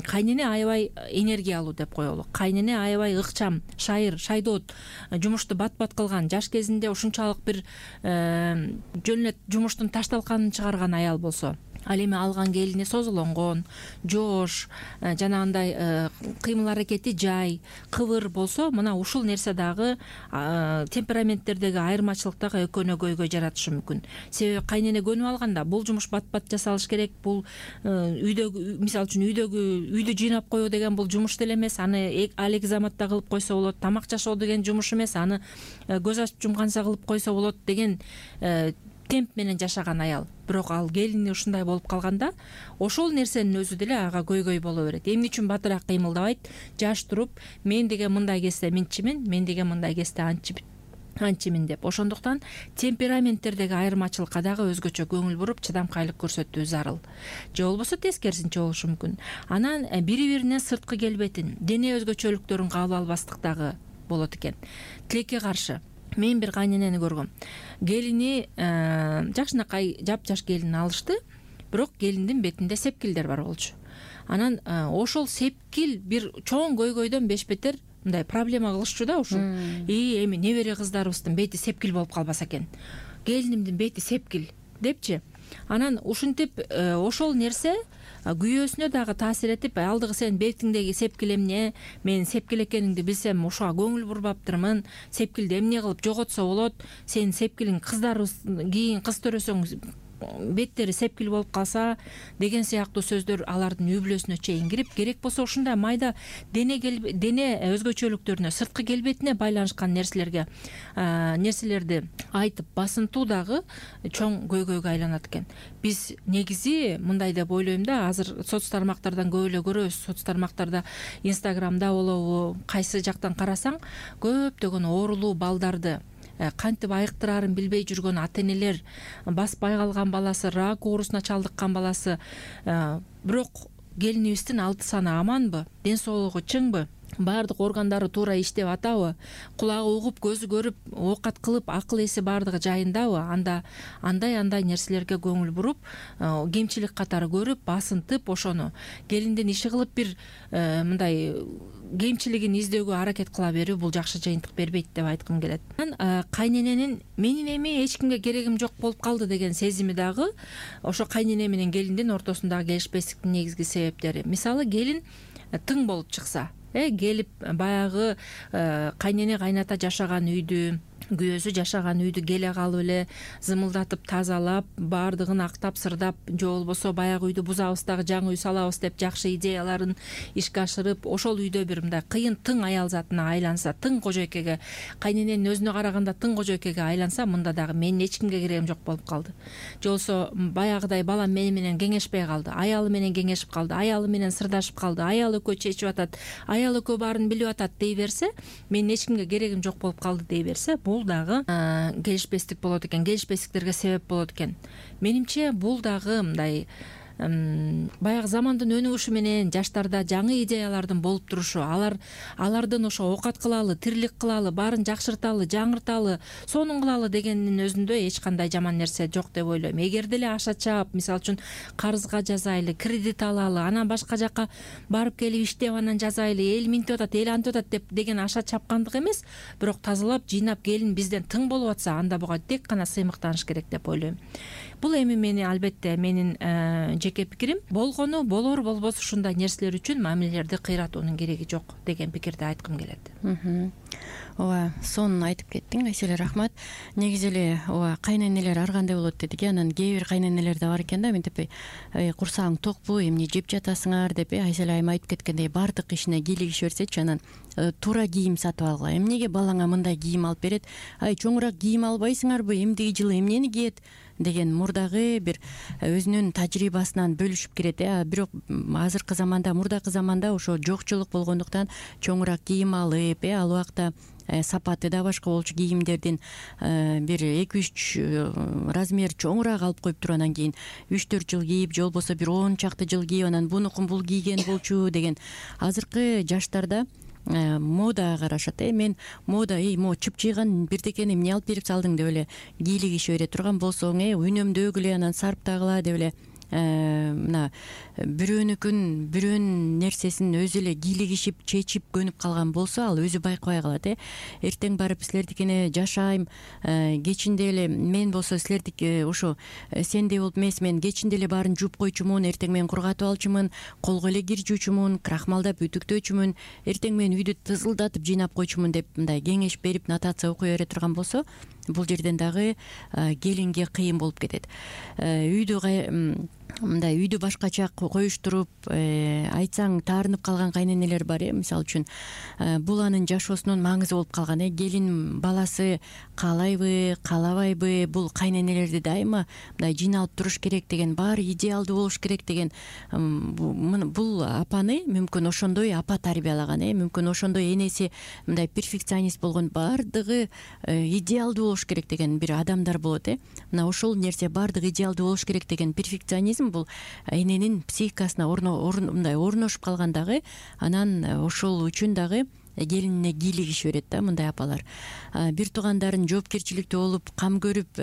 кайнене аябай энергия алуу деп коелу. Кайнене аябай ыкчам, шайыр, шайдоот, жумушту бат-бат кылган, жаш кезинде ушунчалык бир жөн эле жумуштун ташталканын чыгарган аял болсо, ал эми алган келини созулонгон, жоош, жанагындай кыймыл аракети жай, кыбыр болсо, мына ушул нерсе дагы темпераменттердеги айырмачылыктагы экөөнөгөйгө жаратышы мүмкүн. Себеби кайнене көнүп алганда бул жумуш бат-бат жасалыш керек, бул үйдөгү, мисалы үчүн үйдү жыйнап коюу деген бул жумуш деле эмес, аны алеки заматта кылып койсо болот. Тамак жашоо деген жумуш эмес, аны көз ачып жумганса кылып койсо болот деген темп менен жашаган аял. Бирок ал келини ушундай болуп калганда, ошол нерсенин өзү деле ага көйгөй боло берет. Эмне үчүн батыраак кыймылдабайт? Жаш туруп, мен деген мындай кезде мынчымын, мен деген мындай кезде анчымын деп. Ошондуктан темпераменттердеги айырмачылыкка дагы өзгөчө көңүл буруп, чыдамкайлык көрсөтүү зарыл. Же болбосо тескерисинче болушу мүмкүн. Анан бири-биринин сырткы келбетин, дене өзгөчөлүктөрүн кабыл албастык дагы болот экен. Тилекке каршы мен бир кайненени көргөм. Келини жакшынакай жапжаш келин алышты, бирок келиндин бетинде сепкилдер бар болчу. Анан ошол сепкил бир чоң көйгөйдөн бешбетер мындай проблема кылышчу да ушул. Эми небере кыздарыбыздын бети сепкил болуп калбаса экен. Келинимдин бети сепкил депчи. Анан ушинтип ошол нерсе күйөөсүнө дагы таасир этип, алдыгы сенин бетиңдеги сепкил эмне, мен сепкил экениңди билсем ошого көңүл бурбаптырмын, сепкилди эмне кылып жоготсо болот, сенин сепкилиң кыздарыбыз кийин кыз төрөсөң беттери сепкил болуп калса деген сыяктуу сөздөр алардын үй бүлөсүнө чейин кирип, керек болсо ушундай майда дене өзгөчөлүктөрүнө, сырткы келбетине байланышкан нерселерди айтып басынтуу дагы чоң көйгөйгө айланат экен. Биз негизи мындай деп ойлойм да, азыр соц тармактардан көп эле көрөбүз. Соц тармактарда, Инстаграмда болобу, кайсы жактан карасаң, көптөгөн оорулуу балдарды, кантип айыктырарын билбей жүргөн ата энелер, баспай калган баласы, рак оорусуна чалдыккан баласы. Бирок келинибиздин алты саны аманбы, ден соолугу чыңбы, баардык органдары туура иштеп атабы, кулагы угуп, көзү көрүп, оокат кылып, акыл эси баардыгы жайындабы, андай нерселерге көңүл буруп, кемчилик катары көрүп, басынтып, ошону келиндин иши кылып бир мындай кемчилигин издөөгө аракет кыла берүү бул жакшы жыйынтык бербейт деп айткым келет. Кайнененин менин эми эч кимге керегим жок болуп калды деген сезими дагы ошо кайнене менен келиндин ортосундагы келишпестиктин негизги себептери. Мисалы, келин тың болуп чыкса, келип баягы кайнене кайната жашаган үйдү, күйөөсү жашаган үйдү келе калып эле зымылдатып тазалап, баардыгын актап сырдап, же болбосо баягы үйдү бузабыз дагы жаңы үй салабыз деп жакшы идеяларын ишке ашырып, ошол үйдө бир мындай кыйын тың аял затына айланса, тың кожойкеге, кайнененин өзүнө караганда тың кожойкеге айланса, мында дагы менин эч кимге керегим жок болуп калды. Же болбосо баягыдай балам мени менен кеңешпей калды, аялы менен кеңешип калды, аялы менен сырдашып калды, аял экөө чечип атат, аял экөө баарын билип атат дей берсе, менин эч кимге керегим жок болуп калды дей берсе, бул дагы келишпестик болот экен, келишпестиктерге себеп болот экен. Менимче бул дагы мындай баягы замандын өнүгүшү менен жаштарда жаңы идеялардын болуп турушу, алардын ошо оокат кылалы, тирилик кылалы, баарын жакшырталы, жаңырталы, сонун кылалы дегенин өзүндө эч кандай жаман нерсе жок деп ойлойм. Эгер деле аша чаап, мисалы үчүн карызга жазайлы, кредит алалы, анан башка жака барып келип иштеп анан жазайлы, эл минтип атат, эл антип атат деген аша чапкандык эмес, бирок тазалап, жыйнап келин бизден тың болуп атса, анда буга тек гана сыймыктаныш керек деп ойлойм. Бул эми мени албетте менин жеке пикирим. Болгону болор, болбосо ушундай нерселер үчүн мамилелерди кыйратуунун кереги жок деген пикирди айткым келет. Ооба, сонун айтып кеттиң, Айселе, рахмат. Негизи эле ооба, кайненелер ар кандай болот дедик. Анан кээ бир кайненелер да бар экен да, мынтип курсагың токпу, эмне жеп жатасыңар деп, Айселе айым айтып кеткендей баардык ишине кийлигише берсечи, анан туура кийим сатып алгыла. Эмнеге балаңа мындай кийим алып берет? Чоңураак кийим албайсыңарбы? Эмдиги жылы эмнени кийет? Деген мурдагы бир өзүнүн тажрыйбасынан бөлүшүп кирет. Бирок азыркы заманда, мурдакы заманда ошо жокчулук болгондуктан чоңураак кийим алып, ал убакта сапаты да башка болчу кийимдердин, бир 2-3 размер чоңураак алып коюп туруп, анан кийин 3-4 жыл кийип, же болбосо бир 10 чакты жыл кийип, анан бунукун бул кийген болчу деген. Азыркы жаштарда модага карашат. Мен мода, могу чыпчыйган бирдекени эмне алып берип салдың деп эле кийлигише бере турган болсоң, үнөмдөгүлө анан сарптагыла деп эле мына бирөөнүн нерсесин өзү эле кийлигишип, чечип көнүп калган болсо, ал өзү байкабай калат. Эртең барып силердикине жашайм, кечинде эле мен болсо силердики ошо сендей болуп эмес, мен кечинде эле баарын жууп койчумун, эртең мен кургатып алчумун, колго эле кир жуучумун, крахмалдап үтүктөөчүмүн, эртең мен үйдү тызылдатып жыйнап койчумун деп мындай кеңеш берип, нотация окуй бере турган болсо, бул жерден дагы келинге кыйын болуп кетет. Мындай үйдү башкача коюштуруп, айтсаң таарынып калган кайненелер бар. Мисалы үчүн бул анын жашоосунун маңызы болуп калган. Келин баласы каалайбы, каалабайбы, бул кайненелерди дайыма мындай жыйналып туруш керек деген, баары идеалдуу болуш керек деген, бул апаны мүмкүн ошондой апа тарбиялаган, мүмкүн ошондой энеси мындай перфекционист болгон, баардыгы идеалдуу болуш керек деген бир адамдар болот. Мына ошол нерсе, баардыгы идеалдуу болуш керек деген перфекционизм бул эненин психикасына мындай орношуп калган дагы, анан ошол үчүн дагы келинине кийлигише берет да мындай апалар. Бир туугандарын жоопкерчиликтүү болуп, кам көрүп,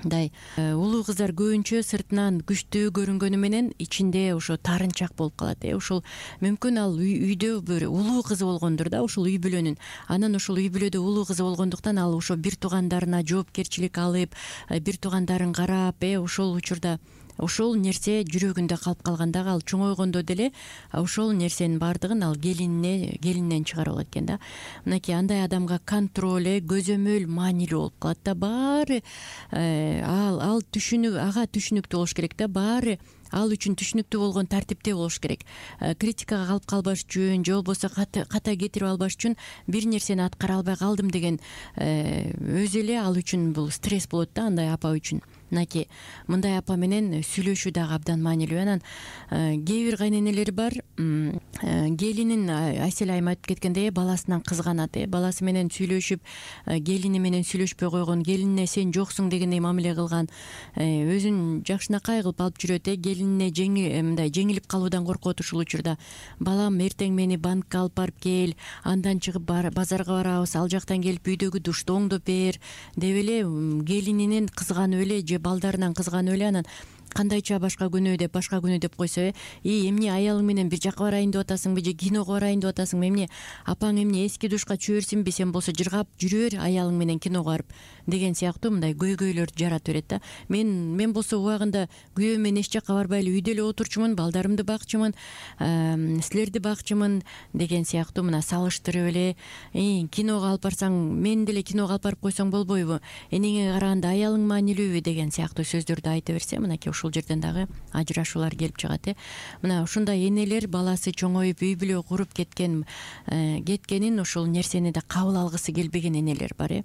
мындай улуу кыздар көбүнчө сыртынан күчтүү көрүнгөнү менен ичинде ошо таарынчак болуп калат. Ошол мүмкүн ал үйдө бир улуу кызы болгондур да, ошол үй бүлөнүн. Анан ошол үй бүлөдө улуу кызы болгондуктан ал ошо бир туугандарына жоопкерчилик алып, бир туугандарын карап, ошол учурда ошол нерсе жүрөгүндө калып калганда, ал чоңойгондо деле ошол нерсенин баардыгын ал келининен чыгарып алат экен да. Мынакей андай адамга контроль, көзөмөл маанилүү болуп калат да. Баары ага түшүнүктүү болуш керек да. Баары ал үчүн түшүнүктүү болгон тартипте болуш керек. Критикага калып калбаш үчүн, же болбосо ката кетирип албаш үчүн, бир нерсени аткара албай калдым деген өзү эле ал үчүн бул стресс болот да, андай апа үчүн. Мынакей мындай апа менен сүйлөшүү дагы абдан маанилүү. Анан кээ бир кайненелер бар, келинин Айселе айым айтып кеткендей баласынан кызганат. Баласы менен сүйлөшүп, келини менен сүйлөшпөй койгон, келинине сен жоксуң дегендей мамиле кылган, өзүн жакшынакай кылып алып жүрөт. Келинине мындай жеңилип калуудан коркот. Ушул учурда балам эртең мени банкка алып барып кел, андан чыгып базарга барабыз, ал жактан келип үйдөгү душту оңдоп бер деп эле келининен кызганып эле, же балдарынан кызганып эле, анан кандайча башка күнү деп койсо, эмне аялың менен бир жака барайын деп атасыңбы, же киного барайын деп атасыңбы, эмне апаң эмне эски душка чүбөрсүнбү, сен болсо жыргап жүрө бер аялың менен киного барып деген сыяктуу мындай көйгөйлөрдү жаратып берет да. Мен болсо убагында күйөөм менен эч жакка барбай эле үйдө эле отурчумун, балдарымды бакчумун, силерди бакчумун деген сыяктуу мына салыштырып эле киного алып барсаң, мени деле киного алып барып койсоң болбойбу, энеңе караганда аялың маанилүүбү деген сыяктуу сөздөрдү айта берсе, мынакей ушул жерден дагы ажырашуулар келип чыгат. Мына ушундай энелер баласы чоңоюп үй бүлө куруп кеткенин ушул нерсени да кабыл алгысы келбеген энелер бар.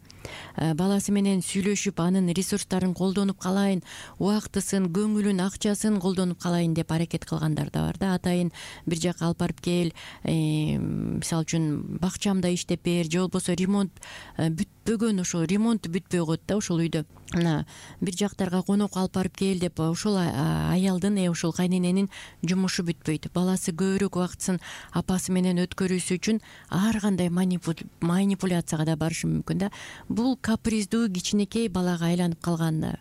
Баласы менен сүйлөшүп, анын ресурстарын колдонуп калайын, убактысын, көңүлүн, акчасын колдонуп калайын деп аракет кылгандар да бар да. Атайын бир жака алып барып кел, мисалы үчүн бакчамда иштеп бер, же болбосо ремонт бүтпөгөн, ошол ремонт бүтпөй коет да ушул үйдө. Мына бир жактарга конокко алып барып кел деп ушул аялдын, ушул кайнененин жумушу бүтпөйт. Баласы көбүрөөк убактысын апасы менен өткөрүүсү үчүн ар кандай манипуляцияга да барышы мүмкүн да. Бул каприздүү кичинекей балага айланып калган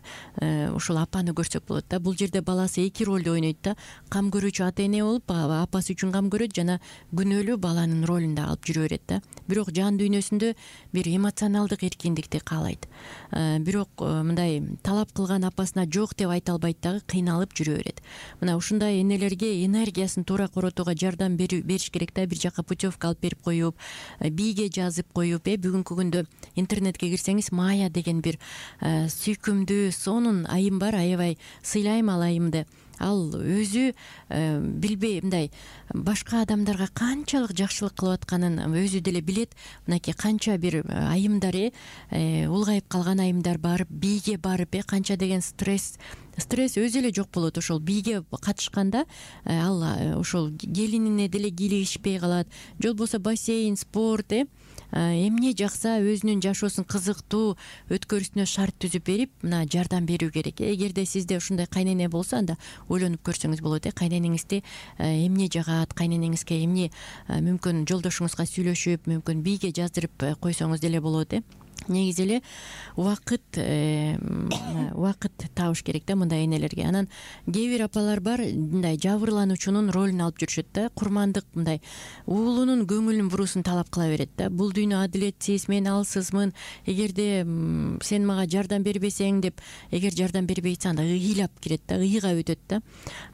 ушул апаны көрсөк болот да. Бул жерде баласы эки ролду ойнойт да. Кам көрүүчү ата эне болуп, апасы үчүн кам көрөт жана күнөөлүү баланын ролун да алып жүрө берет да. Бирок жан дүйнөсүндө бир эмоционалдык эркиндикти каалайт. Бирок мындай талап кылган апасына жок деп айта албайт дагы, кыйналып жүрө берет. Мына ушундай энелерге энергиясын туура коротууга жардам бериш керек да. Бир жака путевка алып берип коюп, бийге жазып коюп, бүгүнкү күндө интернетке кирсеңиз Мая деген бир сүйкүмдүү, сонун айым бар. Аябай сыйлайм ал айымды. Ал өзү билбей мындай башка адамдарга канчалык жакшылык кылып атканын өзү деле билет. Мынакей канча бир айымдар, улгайып калган айымдар барып, бийге барып, канча деген стресс өзү эле жок болот. Ошол бийге катышканда ал ошол келинине деле кийлигишпей калат. Же болбосо бассейн, спорт, эмне жакса өзүнүн жашоосун кызыктуу өткөрүүсүнө шарт түзүп берип, мына жардам берүү керек. Эгерде сизде ушундай кайнене болсо, анда ойлонуп көрсөңүз болот. Кайненеңизди эмне жагат, кайненеңизге эмне мүмкүн жолдошуңузга сүйлөшүп, мүмкүн бийге жаздырып койсоңуз деле болот. Негизи эле убакыт табыш керек да мындай энелерге. Анан кээ бир апалар бар, мындай жабырлануучунун ролун алып жүрүшөт да. Курмандык мындай уулунун көңүлүн буруусун талап кыла берет да. Бул дүйнө адилетсиз, мен алсызмын. Эгерде сен мага жардам бербесең деп, эгер жардам бербей атса, анда ыйлап кирет да, ыйга өтөт да.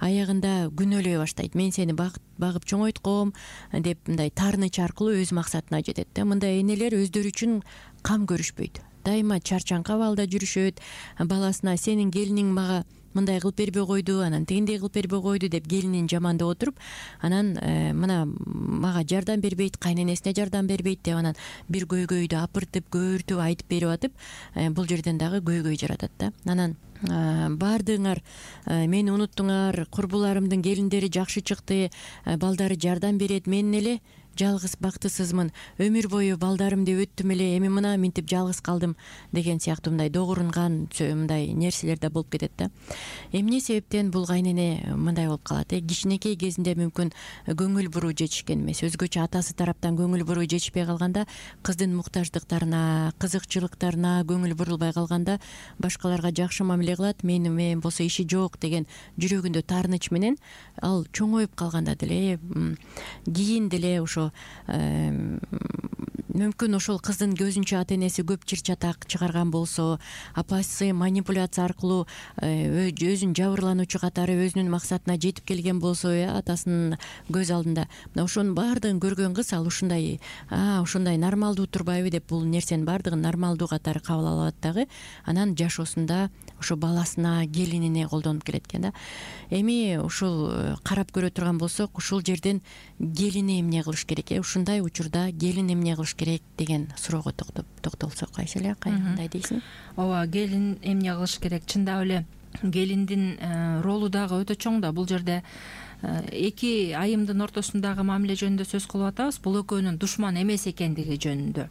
Аягында күнөөлөй баштайт. Мен сени багып чоңойтком деп мындай таарыныч аркылуу өз максатына жетет да. Мындай энелер өздөрү үчүн кам көрүшпөйт. Дайыма чарчаңкы абалда жүрүшөт. Баласына сенин келиниң мага мындай кылып бербей койду, анан тигиндей кылып бербей койду деп келинин жамандап отуруп, анан мына мага жардам бербейт, кайненесине жардам бербейт деп анан бир көйгөйдү апыртып, көөртүп айтып берип атып, бул жерден дагы көйгөй жаратат да. Анан баардыгыңар мени унуттуңар, курбуларымдын келиндери жакшы чыкты, балдары жардам берет, мен эле жалгыз бактысызмын, өмүр бою балдарымды өттүм эле, эми мына минтип жалгыз калдым деген сыяктуу мындай догурунган мындай нерселер да болуп кетет да. Эмне себептен бул кайнене мындай болуп калат? Кичинекей кезинде мүмкүн көңүл буруу жетишкен эмес, өзгөчө атасы тараптан көңүл буруу жетишпей калганда, кыздын муктаждыктарына, кызыкчылыктарына көңүл бурулбай калганда, башкаларга жакшы мамиле кылат, мен болсо иши жок деген жүрөгүндө таарыныч менен ал чоңоюп калганда деле, кийин деле ошо мүмкүн ошол кыздын көзүнчө ата энеси көп чыр чатак чыгарган болсо, апасы манипуляция аркылуу өзүн жабырлануучу катары өзүнүн максатына жетип келген болсо, атасынын көз алдында, мына ошонун баардыгын көргөн кыз ал ушундай нормалдуу турбайбы деп бул нерсенин баардыгын нормалдуу катары кабыл алат дагы. Анан жашоосунда ошо баласына, келинине колдонуп келет экен да. Эми ушул карап көрө турган болсок, ушул жерден келини эмне кылыш керек? Ушундай учурда келин эмне кылыш керек деген суроого токтолсок, Айселе, кандай дейсиң? Ооба, келин эмне кылыш керек? Чындап эле келиндин ролу дагы өтө чоң да. Бул жерде эки айымдын ортосундагы мамиле жөнүндө сөз кылып атабыз. Бул экөөнүн душман эмес экендиги жөнүндө.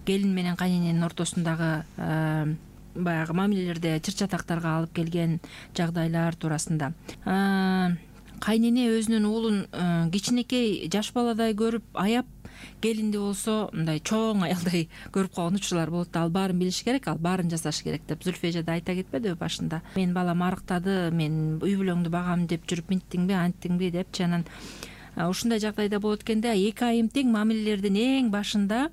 Келин менен кайнененин ортосундагы баягы мамилелерде чыр чатактарга алып келген жагдайлар туурасында. Кайнене өзүнүн уулун кичинекей жаш баладай көрүп, аяп, келинди болсо мындай чоң аялдай көрүп калган учурлар болот. Ал баарын билиш керек, ал баарын жасаш керек деп Зүлфия эже да айта кетпедиби башында? Мен балам арыктады, мен үй бүлөңдү багам деп жүрүп минттиңби, анттиңби депчи. Анан ушундай жагдайда болот экенде эки айым тең мамилелердин эң башында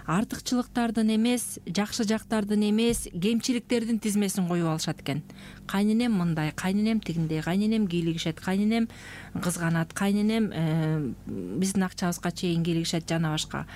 артыкчылыктардын эмес, жакшы жактардын эмес, кемчиликтердин тизмесин коюп алышат экен. Кайненем мындай, кайненем тигиндей, кайненем кийлигишет, кайненем кызганат, кайненем биздин акчабызга чейин кийлигишет жана башка.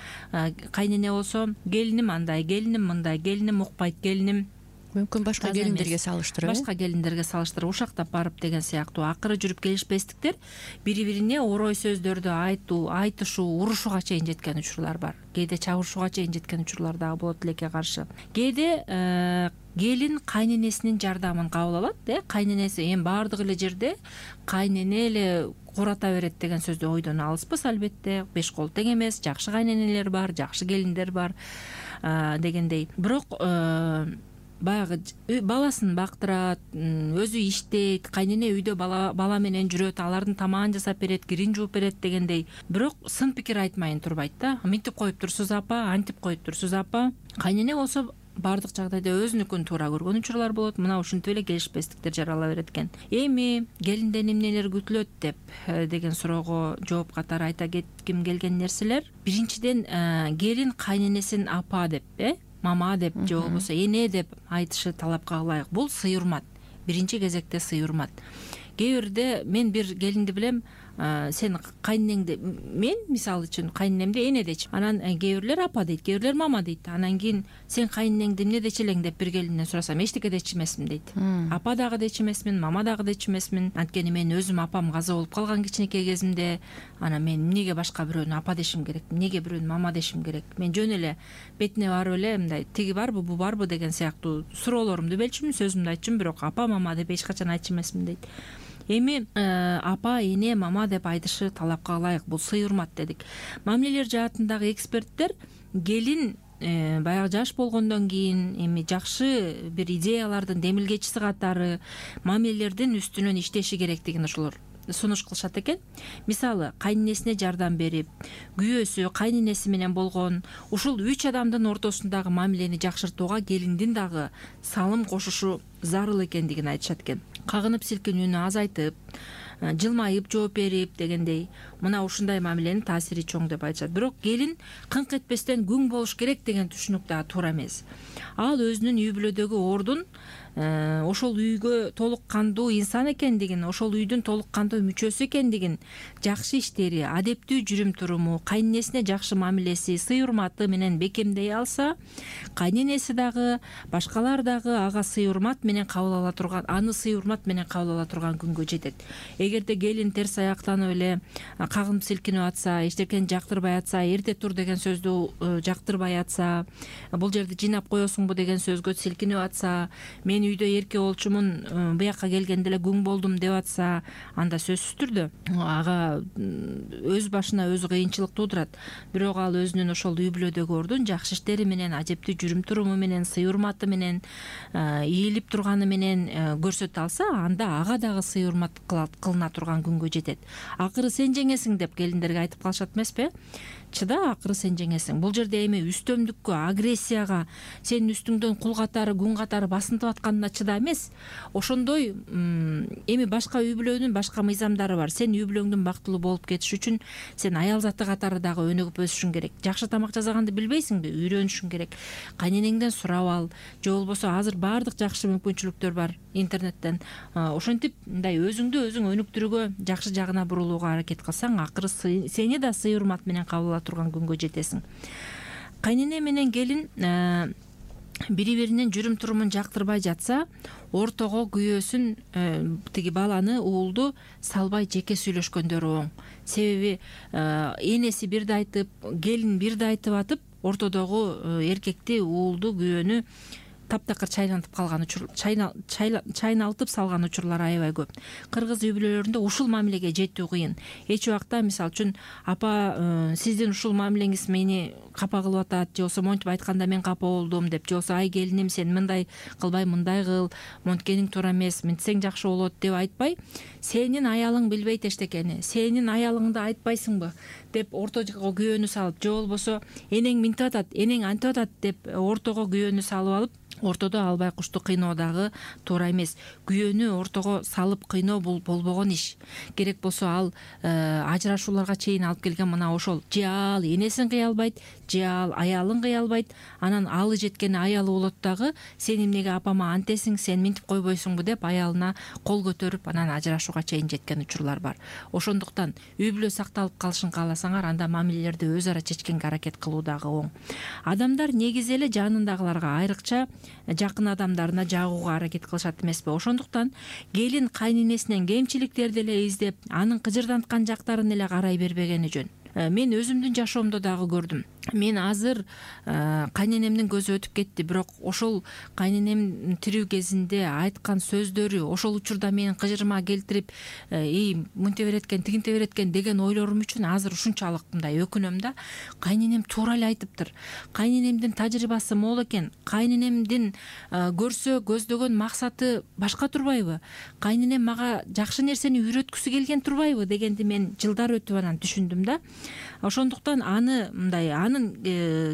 Кайнене болсо келиним андай, келиним мындай, келиним укпайт, келиним мүмкүн башка келиндерге салыштырып, башка келиндерге салыштырып ушактап барып деген сыяктуу акыры жүрүп келишпестиктер бири-бирине орой сөздөрдү айтышуу, урушууга чейин жеткен учурлар бар. Кээде чабышууга чейин жеткен учурлар дагы болот элекке каршы. Кээде келин кайненесинин жардамын кабыл алат, кайненеси эми баардык эле жерде кайнене эле курата берет деген сөздү ойдон алыспыз албетте. Беш кол тең эмес, жакшы кайненелер бар, жакшы келиндер бар дегендей. Бирок баягы баласын бактырат, өзү иштейт, кайнене үйдө бала менен жүрөт, алардын тамагын жасап берет, кирин жууп берет дегендей. Бирок сын пикир айтмайын турбайт да. Мынтип коюп турсуз апа, антип коюп турсуз апа. Кайнене болсо баардык жагдайда өзүнүкүн туура көргөн учурлар болот. Мына ушинтип эле келишпестиктер жарала берет экен. Эми келинден эмнелер күтүлөт деген суроого жооп катары айта кетким келген нерселер. Биринчиден келин кайненесин апа деп, мама деп же болбосо эне деп айтышы талапка ылайык. Бул сый урмат. Биринчи кезекте сый урмат. Кээ бирде мен бир келинди билем, сен кайненеңди, мен мисалы үчүн кайненемди эне дечи. Анан кээ бирлер апа дейт, кээ бирлер мама дейт. Анан кийин сен кайненеңди эмне дечи элең деп бир келинден сурасам, эчтеке дечи эмесмин дейт. Апа дагы дечи эмесмин, мама дагы дечи эмесмин. Анткени мен өзүм апам каза болуп калган кичинекей кезимде. Анан мен эмнеге башка бирөөнү апа дешим керек, эмнеге бирөөнү мама дешим керек? Мен жөн эле бетине барып эле мындай тиги барбы, бу барбы деген сыяктуу суроолорумду белчүмүн, сөзүмдү айтчумун, бирок апа, мама деп эч качан айтчу эмесмин дейт. Эми апа, эне, мама деп айтышы талапка ылайык. Бул сый урмат дедик. Мамилелер жаатындагы эксперттер келин баягы жаш болгондон кийин эми жакшы бир идеялардын демилгечиси катары мамилелердин үстүнөн иштеши керектигин ошолор сунуш кылышат экен. Мисалы, кайненесине жардам берип, күйөөсү, кайненеси менен болгон ушул 3 адамдын ортосундагы мамилени жакшыртууга келиндин дагы салым кошушу зарыл экендигин айтышат экен. Кагынып силкинүүнү азайтып, жылмайып жооп берип дегендей, мына ушундай мамиленин таасири чоң деп айтышат. Бирок келин кыңк этпестен күң болуш керек деген түшүнүк дагы туура эмес. Ал өзүнүн үй бүлөдөгү ордун ошол үйгө толук кандуу инсан экендигин, ошол үйдүн толук кандуу мүчөсү экендигин, жакшы иштери, адептүү жүрүм туруму, кайненесине жакшы мамилеси, сый урматы менен бекемдей алса, кайненеси дагы, башкалар дагы ага сый урмат менен кабыл ала турган, аны сый урмат менен кабыл ала турган күнгө жетет. Эгерде келин терс аяктанып эле кагынып силкинип атса, эчтекени жактырбай атса, эрте тур деген сөздү жактырбай атса, бул жерди жыйнап коесуңбу деген сөзгө силкинип атса, мен үйдө эрке болчумун, буяка келгенде эле күң болдум деп атса, анда сөзсүз түрдө ага өз башына өзү кыйынчылык туудурат. Бирок ал өзүнүн ошол үй бүлөдөгү ордун жакшы иштери менен, адептүү жүрүм туруму менен, сый урматы менен, ийилип турганы менен көрсөтө алса, анда ага дагы сый урмат кылына турган күнгө жетет. Акыры сен жеңесиң деп келиндерге айтып калышат эмеспи? Чыда, акыры сен жеңесиң. Бул жерде эми үстөмдүккө, агрессияга, сенин үстүңдөн кул катары, күн катары басынтып атканына чыда эмес. Ошондой эми башка үй бүлөнүн башка мыйзамдары бар. Сен үй бүлөңдүн бактылуу болуп кетиш үчүн сен аял заты катары дагы өнүгүп өсүшүң керек. Жакшы тамак жасаганды билбейсиңби? Үйрөнүшүң керек. Кайненеңден сурап ал, же болбосо азыр баардык жакшы мүмкүнчүлүктөр бар интернеттен. Ошентип мындай өзүңдү өзүң өнүктүрүүгө, жакшы жагына бурулууга аракет кылсаң, акыры сени да сый урмат менен кабыл ала турган күнгө жетесиң. Кайнене менен келин бири-биринин жүрүм турумун жактырбай жатса, ортого күйөөсүн, тиги баланы, уулду салбай жеке сүйлөшкөндөрү оң. Себеби энеси бирди айтып, келин бирди айтып атып, ортодогу эркекти, уулду, күйөөнү таптакыр чайналтып салган учурлар аябай көп. Кыргыз үй бүлөлөрүндө ушул мамилеге жетүү кыйын. Эч убакта, мисалы үчүн, апа, сиздин ушул мамилеңиз мени капа кылып атат, же болбосо монтип айтканда мен капа болдум деп, же болбосо ай келиним, сен мындай кылбай мындай кыл, монткениң туура эмес, мынтсең жакшы болот деп айтпай, сенин аялың билбейт эчтекени, сенин аялыңды айтпайсыңбы деп ортого күйөөнү салып, же болбосо энең мынтип атат, энең антип атат деп ортого күйөөнү салып алып, ортодо ал байкушту кыйноо дагы туура эмес. Күйөөнү ортого салып кыйноо бул болбогон иш. Керек болсо ал ажырашууларга чейин алып келген мына ошол. Же ал энесин кыя албайт, же ал аялын кыя албайт. Анан алы жеткени аялы болот дагы, сен эмнеге апама антесиң, сен минтип койбойсуңбу деп аялына кол көтөрүп анан ажырашууга чейин жеткен учурлар бар. Ошондуктан үй бүлө сакталып калышын кааласаңар, анда мамилелерди өз ара чечкенге аракет кылуу дагы оң. Адамдар негизи эле жанындагыларга, айрыкча жакын адамдарына жагууга аракет кылышат эмеспи? Ошондуктан келин кайненесинен кемчиликтерди эле издеп, анын кыжырданткан жактарын эле карай бербегени жөн. Мен өзүмдүн жашоомдо дагы көрдүм. Мен азыр кайненемдин көзү өтүп кетти, бирок ошол кайненем тирүү кезинде айткан сөздөрү ошол учурда менин кыжырыма келтирип, мынте береткен, тигинте береткен деген ойлорум үчүн азыр ушунчалык мындай өкүнөм да. Кайненем туура эле айтыптыр. Кайненемдин тажрыйбасы мол экен. Кайненемдин көрсө көздөгөн максаты башка турбайбы? Кайненем мага жакшы нерсени үйрөткүсү келген турбайбы дегенди мен жылдар өтүп анан түшүндүм да. Ошондуктан аны мындай анын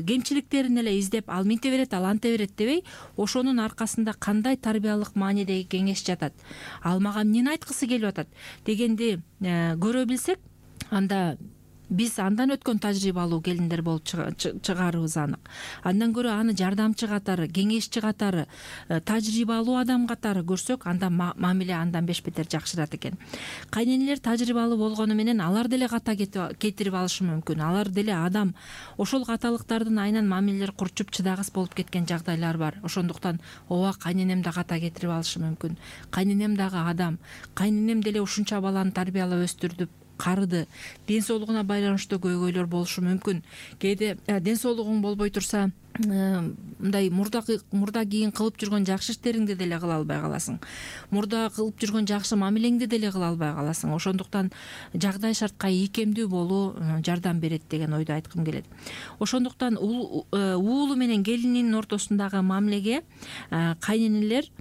кемчиликтерин эле издеп, ал минте берет, ал анте берет дебей, ошонун аркасында кандай тарбиялык маанидеги кеңеш жатат, ал мага эмнени айткысы келип атат дегенди көрө билсек, анда биз андан өткөн тажрыйбалуу келиндер болуп чыгарыбыз анык. Андан көрө аны жардамчы катары, кеңешчи катары, тажрыйбалуу адам катары көрсөк, анда мамиле андан 5 бетер жакшырат экен. Кайненелер тажрыйбалуу болгону менен алар деле ката кетирип алышы мүмкүн. Алар деле адам. Ошол каталыктардын айынан мамилелер курчуп чыдагыс болуп кеткен жагдайлар бар. Ошондуктан ооба, кайненем да ката кетирип алышы мүмкүн. Кайненем дагы адам. Кайненем деле ушунча баланы тарбиялап өстүрдү, карыды. Ден соолугуна байланыштуу көйгөйлөр болушу мүмкүн. Кээде ден соолугуң болбой турса, мындай мурда кийин кылып жүргөн жакшы иштериңди деле кыла албай каласың. Мурда кылып жүргөн жакшы мамилеңди деле кыла албай каласың. Ошондуктан жагдай шартка ийкемдүү болуу жардам берет деген ойду айткым келет. Ошондуктан уулу менен келининин ортосундагы мамилеге кайненелер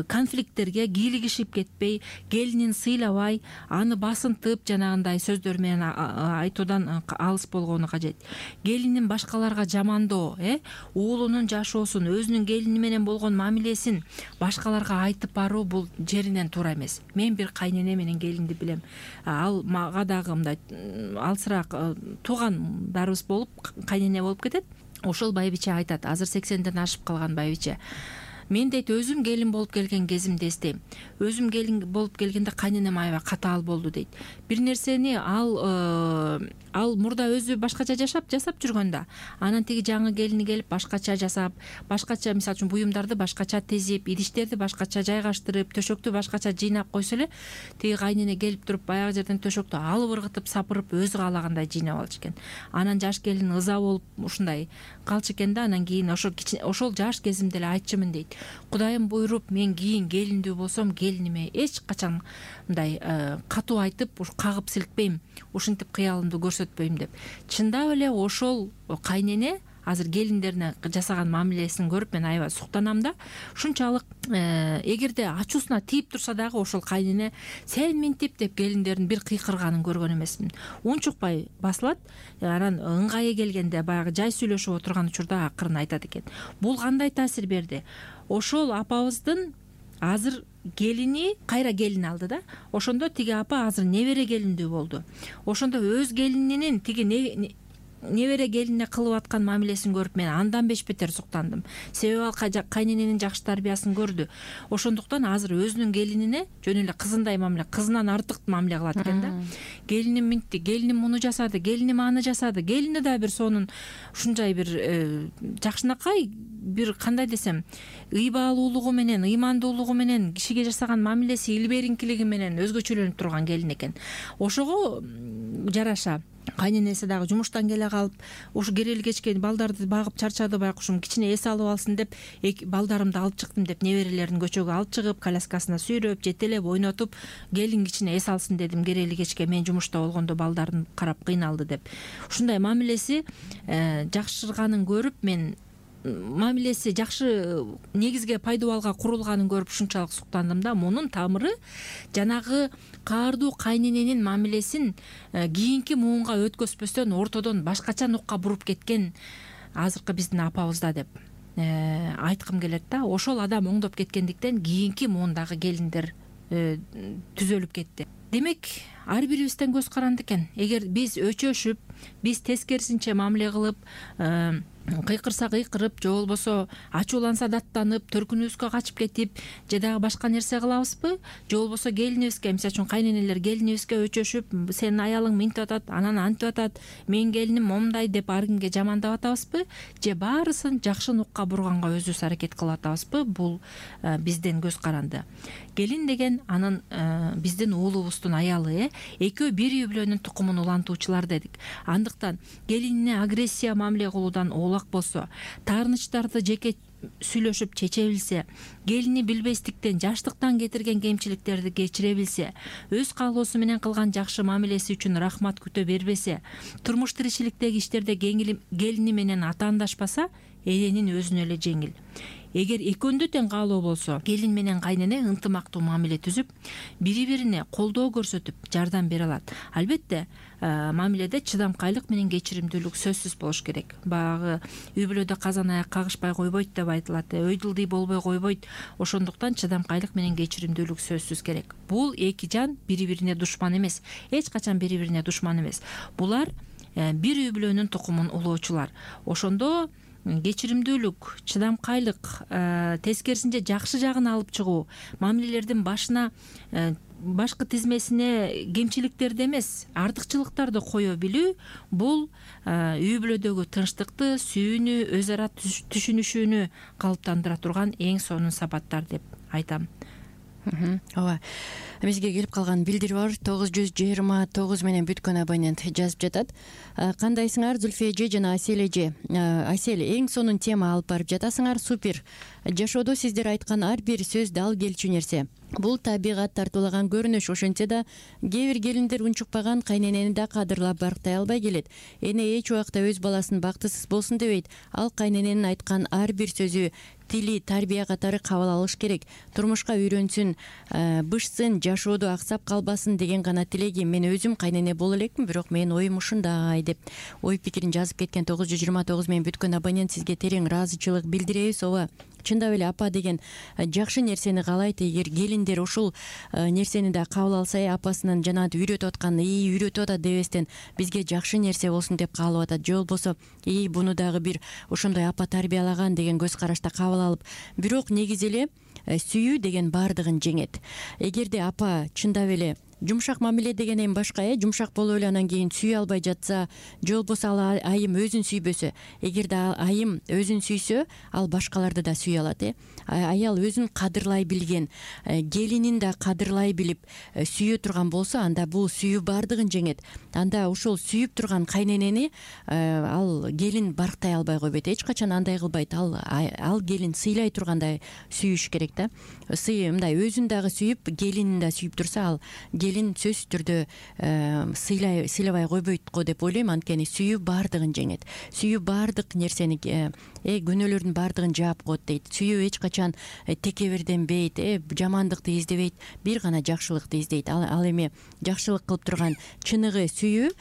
конфликттерге кийлигишип кетпей, келинин сыйлабай, аны басынтып жанагындай сөздөр менен айтуудан алыс болгону кажет. Келинин башкаларга жамандоо, уулунун жашоосун, өзүнүн келини менен болгон мамилесин башкаларга айтып баруу бул жеринен туура эмес. Мен бир кайнене менен келинди билем. Ал мага дагы мындай алсыраак туугандарыбыз болуп, кайнене болуп кетет. Ошол байбиче айтат, азыр 80ден ашып калган байбиче. Мен дейт өзүм келин болуп келген кезимди эстейм. Өзүм келин болуп келгенде кайненем аябай катаал болду дейт. Бир нерсени ал мурда өзү башкача жасап жүргөндө, анан тиги жаңы келини келип башкача жасап, башкача, мисалы үчүн буюмдарды башкача тезип, идиштерди башкача жайгаштырып, төшөктү башкача жыйнап койсо эле, тиги кайнене келип туруп баягы жерден төшөктү алып ыргытып, сапырып, өзү каалагандай жыйнап алчу экен. Анан жаш келин ыза болуп ушундай калчу экен да. Анан кийин ошол жаш кезимде эле айтчумун дейт. Кудайым буйруп, мен кийин келиндүү болсом, келиниме эч качан мындай катуу айтып, кагып силкпейм, ушинтип кыялымды көрсөтпөйм деп. Чындап эле ошол кайнене азыр келиндерине жасаган мамилесин көрүп мен аябай суктанам да. Ушунчалык эгерде ачуусуна тийип турса дагы ошол кайнене сен минтип деп келиндерин бир кыйкырганын көргөн эмесмин. Унчукпай басылат. Анан ыңгайы келгенде баягы жай сүйлөшүп отурган учурда акырын айтат экен. Бул кандай таасир берди? Ошол апабыздын азыр келини кайра келин алды да. Ошондо тиги апа азыр небере келиндүү болду. Ошондо өз келининин тиги небере келинине кылып аткан мамилесин көрүп мен андан 5 бетер суктандым. Себеби ал кайнененин жакшы тарбиясын көрдү. Ошондуктан азыр өзүнүн келинине жөн эле кызындай мамиле, кызынан артык мамиле кылат экен да. Келиним минтти, келиним муну жасады, келиним аны жасады. Келини да бир сонун ушунчай бир жакшынакай, бир кандай десем, ыйбалуулугу менен, ыймандуулугу менен, кишиге жасаган мамилеси илбериңкилиги менен өзгөчөлөнүп турган келин экен. Ошого жараша кайненеси дагы жумуштан келе калып, ушу керели кечке балдарды багып чарчады, байкушум кичине эс алып алсын деп, балдарымды алып чыктым деп, неберелерин көчөгө алып чыгып, коляскасына сүйрөп, жетелеп, ойнотуп, келин кичине эс алсын дедим, керели кечке мен жумушта болгондо балдарын карап кыйналды деп. Ушундай мамилеси жакшырганын көрүп мен, мамилеси жакшы негизге пайдубалга курулганын көрүп ушунчалык суктандым да. Мунун тамыры жанагы каардуу кайнененин мамилесин кийинки муунга өткөзбөстөн ортодон башкача нукка буруп кеткен азыркы биздин апабызда деп. айткым келет да, ошол адам оңдоп кеткендиктен кийинки муундагы келиндер түзөлүп кетти. Демек ар бирибизден көз каранды экен. Эгер биз өчөшүп, биз тескерисинче мамиле кылып, кыйкырса кыйкырып, же болбосо ачууланса даттанып, төркүнүбүзгө качып кетип, же дагы башка нерсе кылабызбы, же болбосо келинибизге, мисалы үчүн кайненелер келинибизге өчөшүп, сенин аялың минтип атат, анан антип атат, менин келиним момундай деп ар кимге жамандап атабызбы, же баарысын жакшы нукка бурганга өзүбүз аракет кылып атабызбы? Бул бизден көз каранды. Келин деген анын биздин уулубуздун аялы, экөө бир үй бүлөнүн тукумун улантуучулар дедик. Андыктан келинине агрессия мамиле кылуудан оолак болсо, таарынычтарды жеке сүйлөшүп чече билсе, келини билбестиктен, жаштыктан кетирген кемчиликтерди кечире билсе, өз каалоосу менен кылган жакшы мамилеси үчүн рахмат күтө бербесе, турмуш тиричиликтеги иштерде келини менен атаандашпаса, эненин өзүнө эле жеңил. Эгер экөөндө тең каалоо болсо, келин менен кайнене ынтымактуу мамиле түзүп, бири-бирине колдоо көрсөтүп, жардам бере алат. Албетте, мамиледе чыдамкайлык менен кечиримдүүлүк сөзсүз болуш керек. Баягы үй бүлөдө казан аяк кагышпай койбойт деп айтылат. Өйдүлдүй болбой койбойт. Ошондуктан чыдамкайлык менен кечиримдүүлүк сөзсүз керек. Бул эки жан бири-бирине душман эмес. Эч качан бири-бирине душман эмес. Булар бир үй бүлөнүн тукумун улоочулар. Ошондо кечиримдүүлүк, чыдамкайлык, тескерисинче жакшы жагын алып чыгуу, мамилелердин башына, башкы тизмесине кемчиликтерди эмес, артыкчылыктарды кое билүү, бул үй бүлөдөгү тынчтыкты, сүйүүнү, өз ара түшүнүшүүнү калыптандыра турган эң сонун сапаттар деп айтам. Ооба. Бизге келип калган билдирүү бар. 929 менен бүткөн абонент жазып жатат. Кандайсыңар, Зүлфия эже жана Асель эже? Асель, эң сонун тема алып барып жатасыңар. Супер. Жашоодо сиздер айткан ар бир сөз дал келчү нерсе. Бул табигат тартуулаган көрүнүш. Ошентсе да кээ бир келиндер унчукпаган кайненени да кадырлап барктай албай келет. Эне эч убакта өз баласын бактысыз болсун дебейт. Ал кайнененин айткан ар бир сөзү, тили, тарбия катары кабыл алыш керек. Турмушка үйрөнсүн, бышсын, жашоодо аксап калбасын деген гана тилегим. Мен өзүм кайнене боло элекмин, бирок менин оюм ушундай деп ой пикирин жазып кеткен 929 менен бүткөн абонент, сизге терең ыраазычылык билдиребиз. Ооба, чындап эле апа деген жакшы нерсени каалайт. Эгер келиндер ушул нерсени да кабыл алса, апасынын жанагынтип үйрөтүп аткан, үйрөтүп атат дебестен бизге жакшы нерсе болсун деп каалап атат. Же болбосо, буну дагы бир ошондой апа тарбиялаган деген көз карашта кабыл алып. Бирок негизи эле сүйүү деген баардыгын жеңет. Эгерде апа чындап эле жумшак мамиле деген эми башка, жумшак болуп эле анан кийин сүйө албай жатса, же болбосо ал айым өзүн сүйбөсө, эгерде айым өзүн сүйсө, ал башкаларды да сүйө алат. Аял өзүн кадырлай билген, келинин да кадырлай билип сүйө турган болсо, анда бул сүйүү баардыгын жеңет. Анда ошол сүйүп турган кайненени ал келин барктай албай койбойт. Эч качан андай кылбайт. Ал келин сыйлай тургандай сүйүш керек да. Мындай өзүн дагы сүйүп, келинин да сүйүп турса, ал келин сөзсүз түрдө сыйлабай койбойт го деп ойлойм. Анткени сүйүү баардыгын жеңет. Сүйүү баардык нерсени, күнөөлөрдүн баардыгын жаап коет дейт. Сүйүү эч качан текеберденбейт, жамандыкты издебейт, бир гана жакшылыкты издейт. Ал эми жакшылык кылып турган чыныгы сүйүү,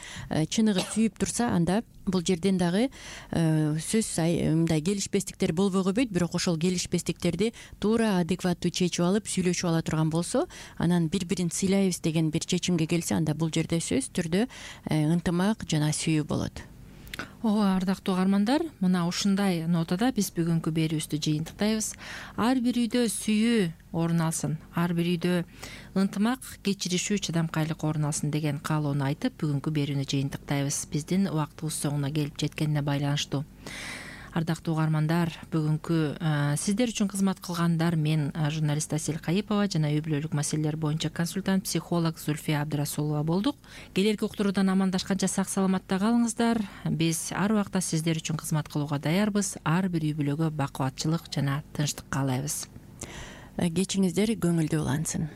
чыныгы сүйүп турса, анда бул жерден дагы сөз мындай келишпестиктер болбой койбойт. Бирок ошол келишпестиктерди туура адекваттуу чечип алып, сүйлөшүп ала турган болсо, анан бири-бирин сыйлайбыз деген бир чечимге келсе, анда бул жерде сөзсүз түрдө ынтымак жана сүйүү болот. Ооба, ардактуу угармандар, мына ушундай нотада биз бүгүнкү берүүбүздү жыйынтыктайбыз. Ар бир үйдө сүйүү орун алсын, ар бир үйдө ынтымак, кечиришүү, чыдамкайлык орун алсын деген каалоону айтып, бүгүнкү берүүнү жыйынтыктайбыз. Биздин убактыбыз соңуна келип жеткенине байланыштуу. Ардактуу угармандар, бүгүнкү сиздер үчүн кызмат кылгандар мен журналист Асель Кайыпова жана үй бүлөлүк маселелер боюнча консультант, психолог Зүлфия Абдрасулова болдук. Келерки уктуруудан амандашканча сак саламатта калыңыздар. Биз ар убакта сиздер үчүн кызмат кылууга даярбыз. Ар бир үй бүлөгө бакубатчылык жана тынчтык каалайбыз. Кечиңиздер көңүлдүү улансын.